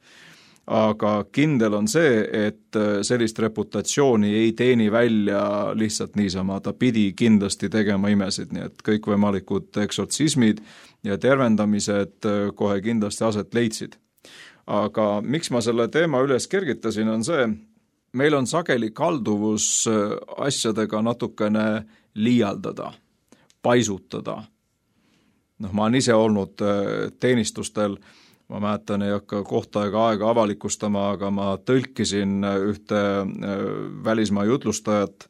Aga kindel on see, et sellist reputatsiooni ei teeni välja lihtsalt niisama, ta pidi kindlasti tegema imesid, nii et kõikvõimalikud eksortsismid ja tervendamised kohe kindlasti aset leidsid. Aga miks ma selle teema üles kergitasin, on see, meil on sageli kalduvus asjadega natukene liialdada. paisutada. Noh, ma olen ise olnud teenistustel, ma mäletan, ei hakka kohta ega aega avalikustama, aga ma tõlkisin ühte välismaa jutlustajat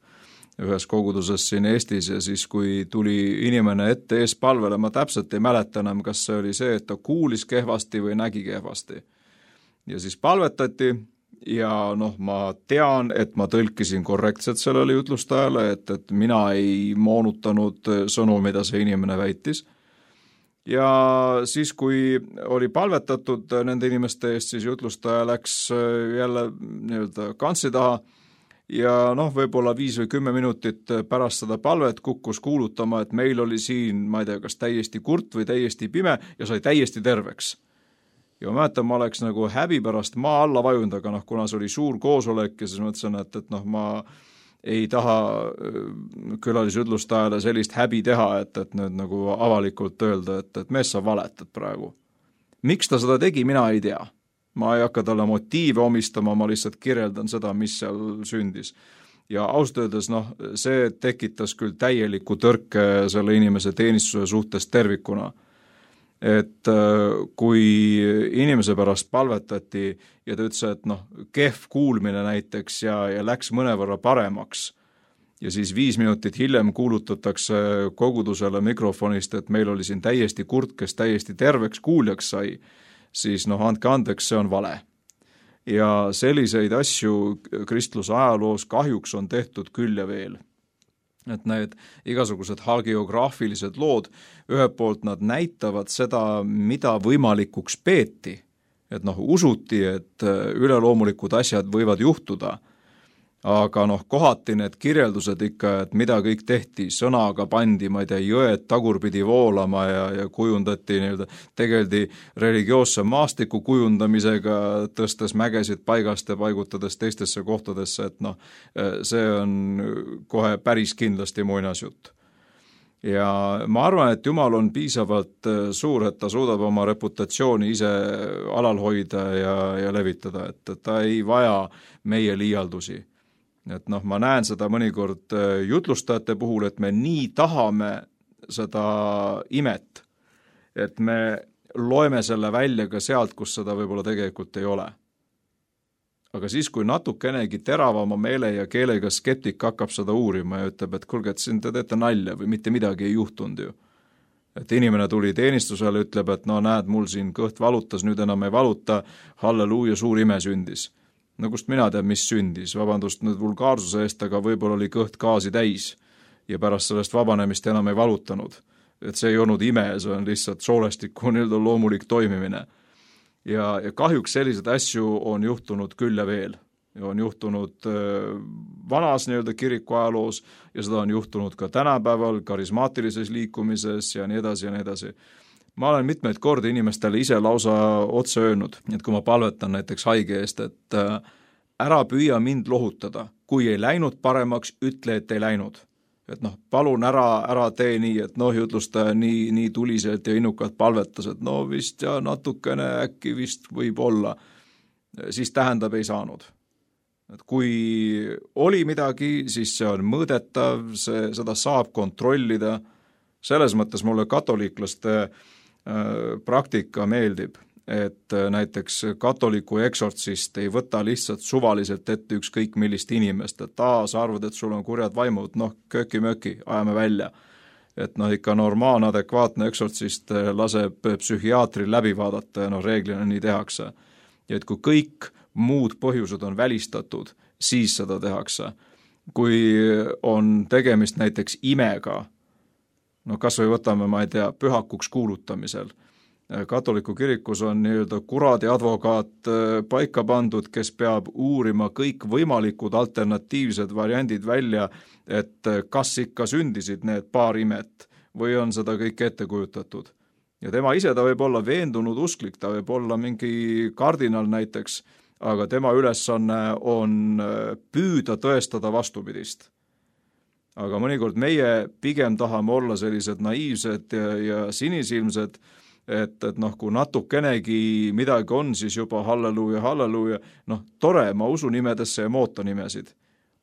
ühes koguduses siin Eestis ja siis, kui tuli inimene ette ees palvele, ma täpselt ei mäleta enam, kas see oli see, et ta kuulis kehvasti või nägi kehvasti. Ja siis palvetati ja noh, ma tean, et ma tõlkisin korrektselt sellele jutlustajale, et, et mina ei moonutanud sõnu, mida see inimene väitis. Ja siis, kui oli palvetatud nende inimeste eest, siis jutlustaja läks jälle nii-öelda kantsi taha ja noh, võib-olla viis või kümme minutit pärast seda palvet kukkus kuulutama, et meil oli siin, ma ei tea, kas täiesti kurt või täiesti pime ja sai täiesti terveks. Ja ma mäletan, ma oleks nagu häbi pärast maa alla vajunud, aga noh, kuna see oli suur koosolek ja siis mõtlesin, et, et noh, ma ei taha külalisjutlustajale sellist häbi teha, et, et nüüd nagu avalikult öelda, et, et mees sa valetad praegu. Miks ta seda tegi, mina ei tea. Ma ei hakka talle motiive omistama, ma lihtsalt kirjeldan seda, mis seal sündis. Ja ausalt öeldes, noh, see tekitas küll täieliku tõrke selle inimese teenistuse suhtes tervikuna. Et kui inimese pärast palvetati ja ta ütles, et noh, kehv kuulmine näiteks ja, ja läks mõnevõrra paremaks ja siis viis minutit hiljem kuulutatakse kogudusele mikrofonist, et meil oli siin täiesti kurt, kes täiesti terveks kuuljaks sai, siis noh, andke andeks, see on vale. Ja selliseid asju kristluse ajaloos kahjuks on tehtud küll ja veel. Et need igasugused hagiograafilised lood, ühelt poolt nad näitavad seda, mida võimalikuks peeti. Et noh, usuti, et üleloomulikud asjad võivad juhtuda, aga noh, kohati need kirjeldused ikka, et mida kõik tehti, sõnaga pandi, ma ei tea, jõed tagurpidi voolama ja, ja kujundati, nii-öelda, tegeldi religioosse maastiku kujundamisega, tõstes mägesid paigast ja paigutades teistesse kohtadesse, et noh, see on kohe päris kindlasti muinasjutt. Ja ma arvan, et Jumal on piisavalt suur, et ta suudab oma reputatsiooni ise alal hoida ja, ja levitada, et ta ei vaja meie liialdusi. Et noh, ma näen seda mõnikord jutlustajate puhul, et me nii tahame seda imet, et me loeme selle välja ka sealt, kus seda võib-olla tegelikult ei ole. Aga siis, kui natukenegi teravama meele ja keelega skeptik hakkab seda uurima ja ütleb, et kuulge, et siin te teete nalja või mitte midagi ei juhtunud ju. Et inimene tuli teenistusele, ütleb, et no näed, mul siin kõht valutas, nüüd enam ei valuta, halleluuja, suur ime sündis. No kust mina tean, mis sündis, vabandust nüüd vulgaarsuse eest, aga võib-olla oli kõht gaasi täis ja pärast sellest vabanemist enam ei valutanud. Et see ei olnud ime, see on lihtsalt soolestiku nii-öelda loomulik toimimine. Ja, ja kahjuks sellised asju on juhtunud küll ja veel. Ja on juhtunud vanas nii-öelda kiriku ajaloos ja seda on juhtunud ka tänapäeval karismaatilises liikumises ja nii edasi ja nii edasi. Ma olen mitmeid kordi inimestele ise lausa otse öelnud, et kui ma palvetan näiteks haige eest, et ära püüa mind lohutada, kui ei läinud paremaks, ütle, et ei läinud. Et noh, palun ära, ära tee nii, et noh, jutlustaja nii, nii tuliselt ja innukalt palvetas, et no vist ja natukene äkki vist võib olla, siis tähendab ei saanud. Et kui oli midagi, siis see on mõõdetav, see, seda saab kontrollida. Selles mõttes mulle katoliiklaste praktika meeldib, et näiteks katoliku eksortsist ei võta lihtsalt suvaliselt ette ükskõik millist inimest, et aa, sa arvad, et sul on kurjad vaimud, noh, köki-möki, ajame välja. Et noh, ikka normaalne, adekvaatne eksortsist laseb psühhiaatri läbi vaadata ja noh, reeglina nii tehakse. Ja et kui kõik muud põhjused on välistatud, siis seda tehakse. Kui on tegemist näiteks imega, no kas või võtame, ma ei tea, pühakuks kuulutamisel. Katoliku kirikus on nii-öelda kuradi advokaat paika pandud, kes peab uurima kõik võimalikud alternatiivsed variandid välja, et kas ikka sündisid need paar imet või on seda kõik ette kujutatud. Ja tema ise ta võib olla veendunud usklik, ta võib olla mingi kardinal näiteks, aga tema ülesanne on püüda tõestada vastupidist. Aga mõnikord meie pigem tahame olla sellised naiivsed ja, ja sinisilmsed, et, et noh, kui natukenegi midagi on, siis juba halleluuja, halleluuja, noh, tore, ma usun nimedesse ja mooto nimesid,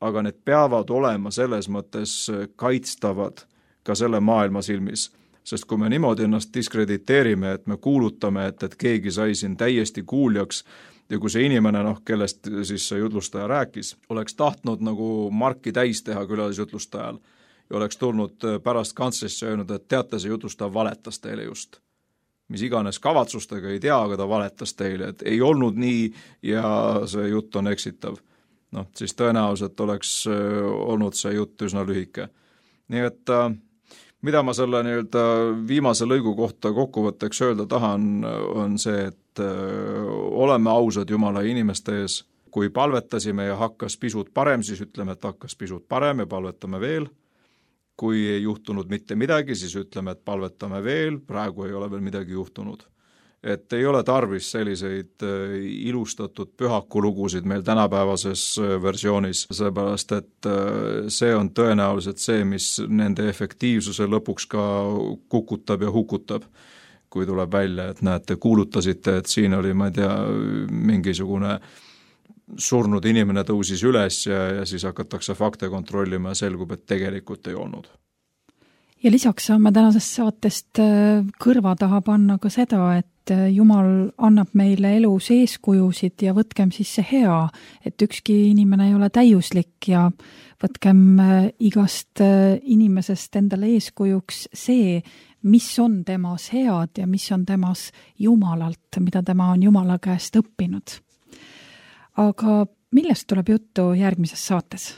aga need peavad olema selles mõttes kaitstavad ka selle maailma silmis. Sest kui me niimoodi ennast diskrediteerime, et me kuulutame, et, et keegi sai siin täiesti kuuljaks ja kui see inimene, noh, kellest siis see jutlustaja rääkis, oleks tahtnud nagu marki täis teha külalisjutlustajal ja oleks tulnud pärast kantslisse öelnud, et teate, see jutlustaja valetas teile just. Mis iganes kavatsustega ei tea, aga ta valetas teile, et ei olnud nii ja see jutt on eksitav. Noh, siis tõenäoliselt oleks olnud see jutt üsna lühike. Nii et mida ma selle nii-öelda viimase lõigu kohta kokkuvõtteks öelda tahan, on see, et oleme ausad Jumala inimeste ees. Kui palvetasime ja hakkas pisut parem, siis ütleme, et hakkas pisut parem ja palvetame veel. Kui ei juhtunud mitte midagi, siis ütleme, et palvetame veel, praegu ei ole veel midagi juhtunud. Et ei ole tarvis selliseid ilustatud pühakulugusid meil tänapäevases versioonis, seepärast et see on tõenäoliselt see, mis nende efektiivsuse lõpuks ka kukutab ja hukutab, kui tuleb välja, et näete, kuulutasite, et siin oli, ma ei tea, mingisugune surnud inimene tõusis üles ja, ja siis hakatakse fakte kontrollima ja selgub, et tegelikult ei olnud. Ja lisaks saame tänasest saatest kõrva taha panna ka seda, et Jumal annab meile elus eeskujusid ja võtkem siis see hea, et ükski inimene ei ole täiuslik ja võtkem igast inimesest endale eeskujuks see, mis on temas head ja mis on temas Jumalalt, mida tema on Jumala käest õppinud. Aga millest tuleb juttu järgmises saates?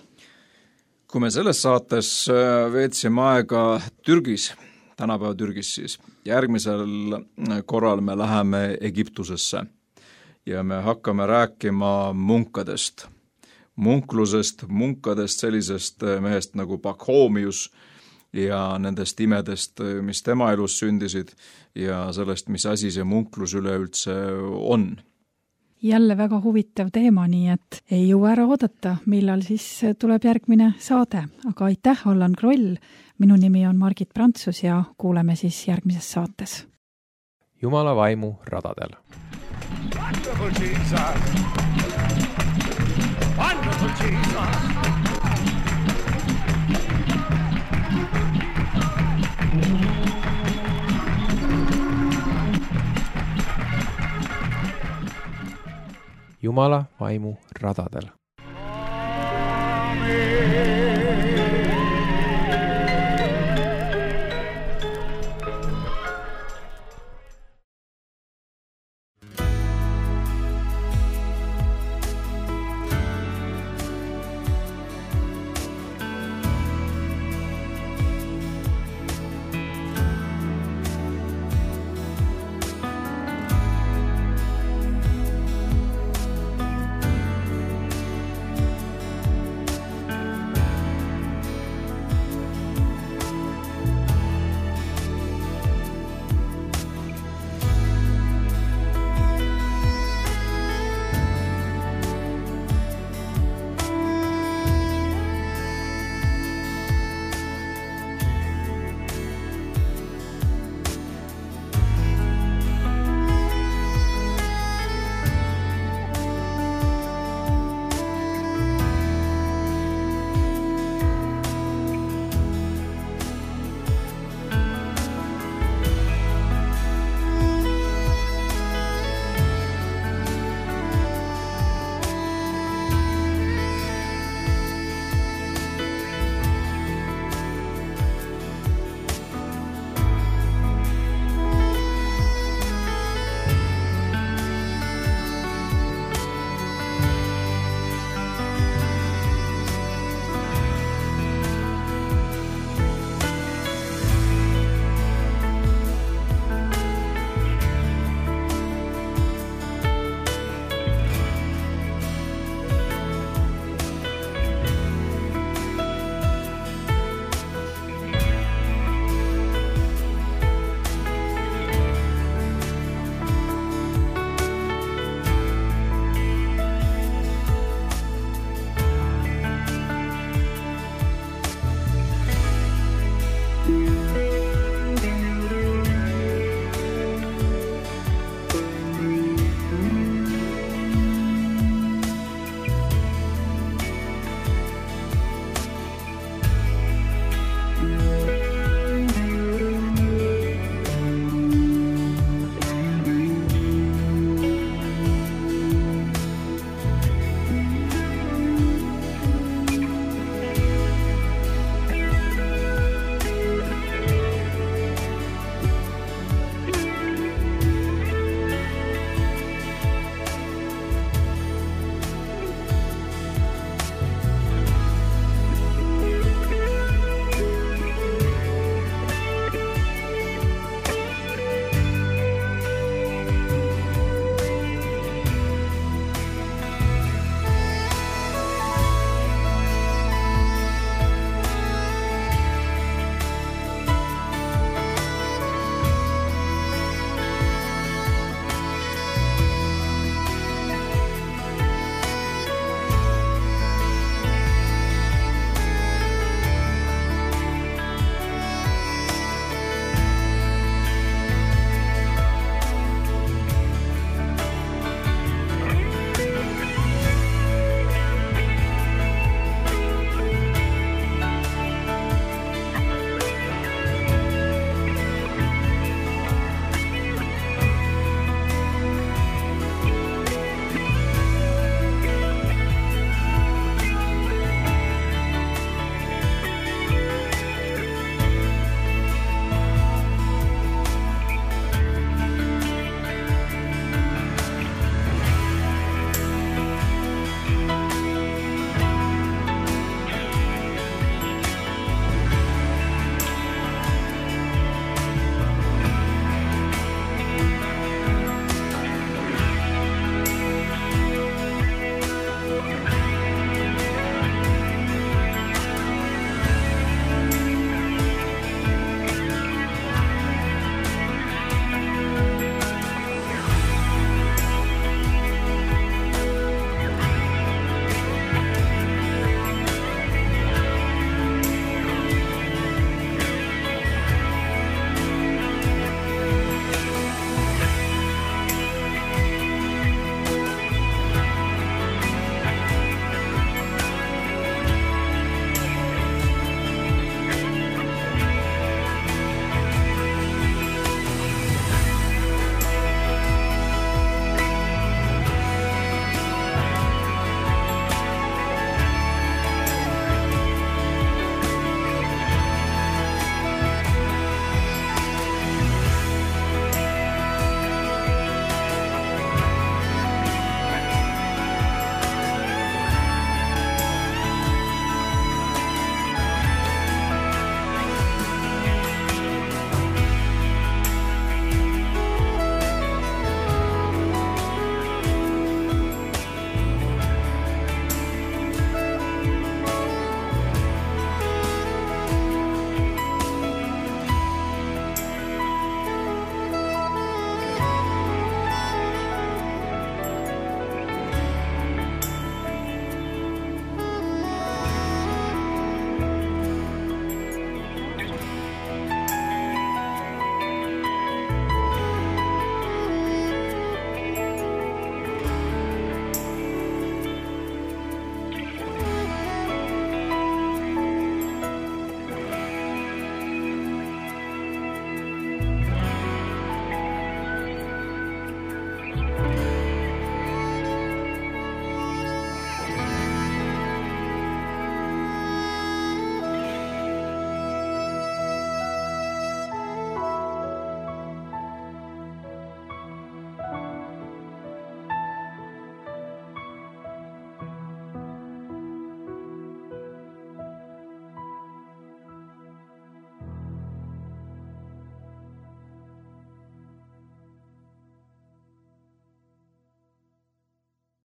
Kui me selles saates veetsime aega Türgis, tänapäeva Türgis siis, järgmisel korral me läheme Egiptusesse ja me hakkame rääkima munkadest. Munklusest, munkadest, sellisest mehest nagu Pakhoomius ja nendest imedest, mis tema elus sündisid ja sellest, mis asi see munklus üleüldse on. Jälle väga huvitav teema, nii et ei jõua ära oodata, millal siis tuleb järgmine saade. Aga aitäh, Allan Kroll. Minu nimi on Margit Prantsus ja kuuleme siis järgmises saates. Jumala vaimu radadel. Wonderful Jesus. Wonderful Jesus. Jumala vaimu radadel. Amen.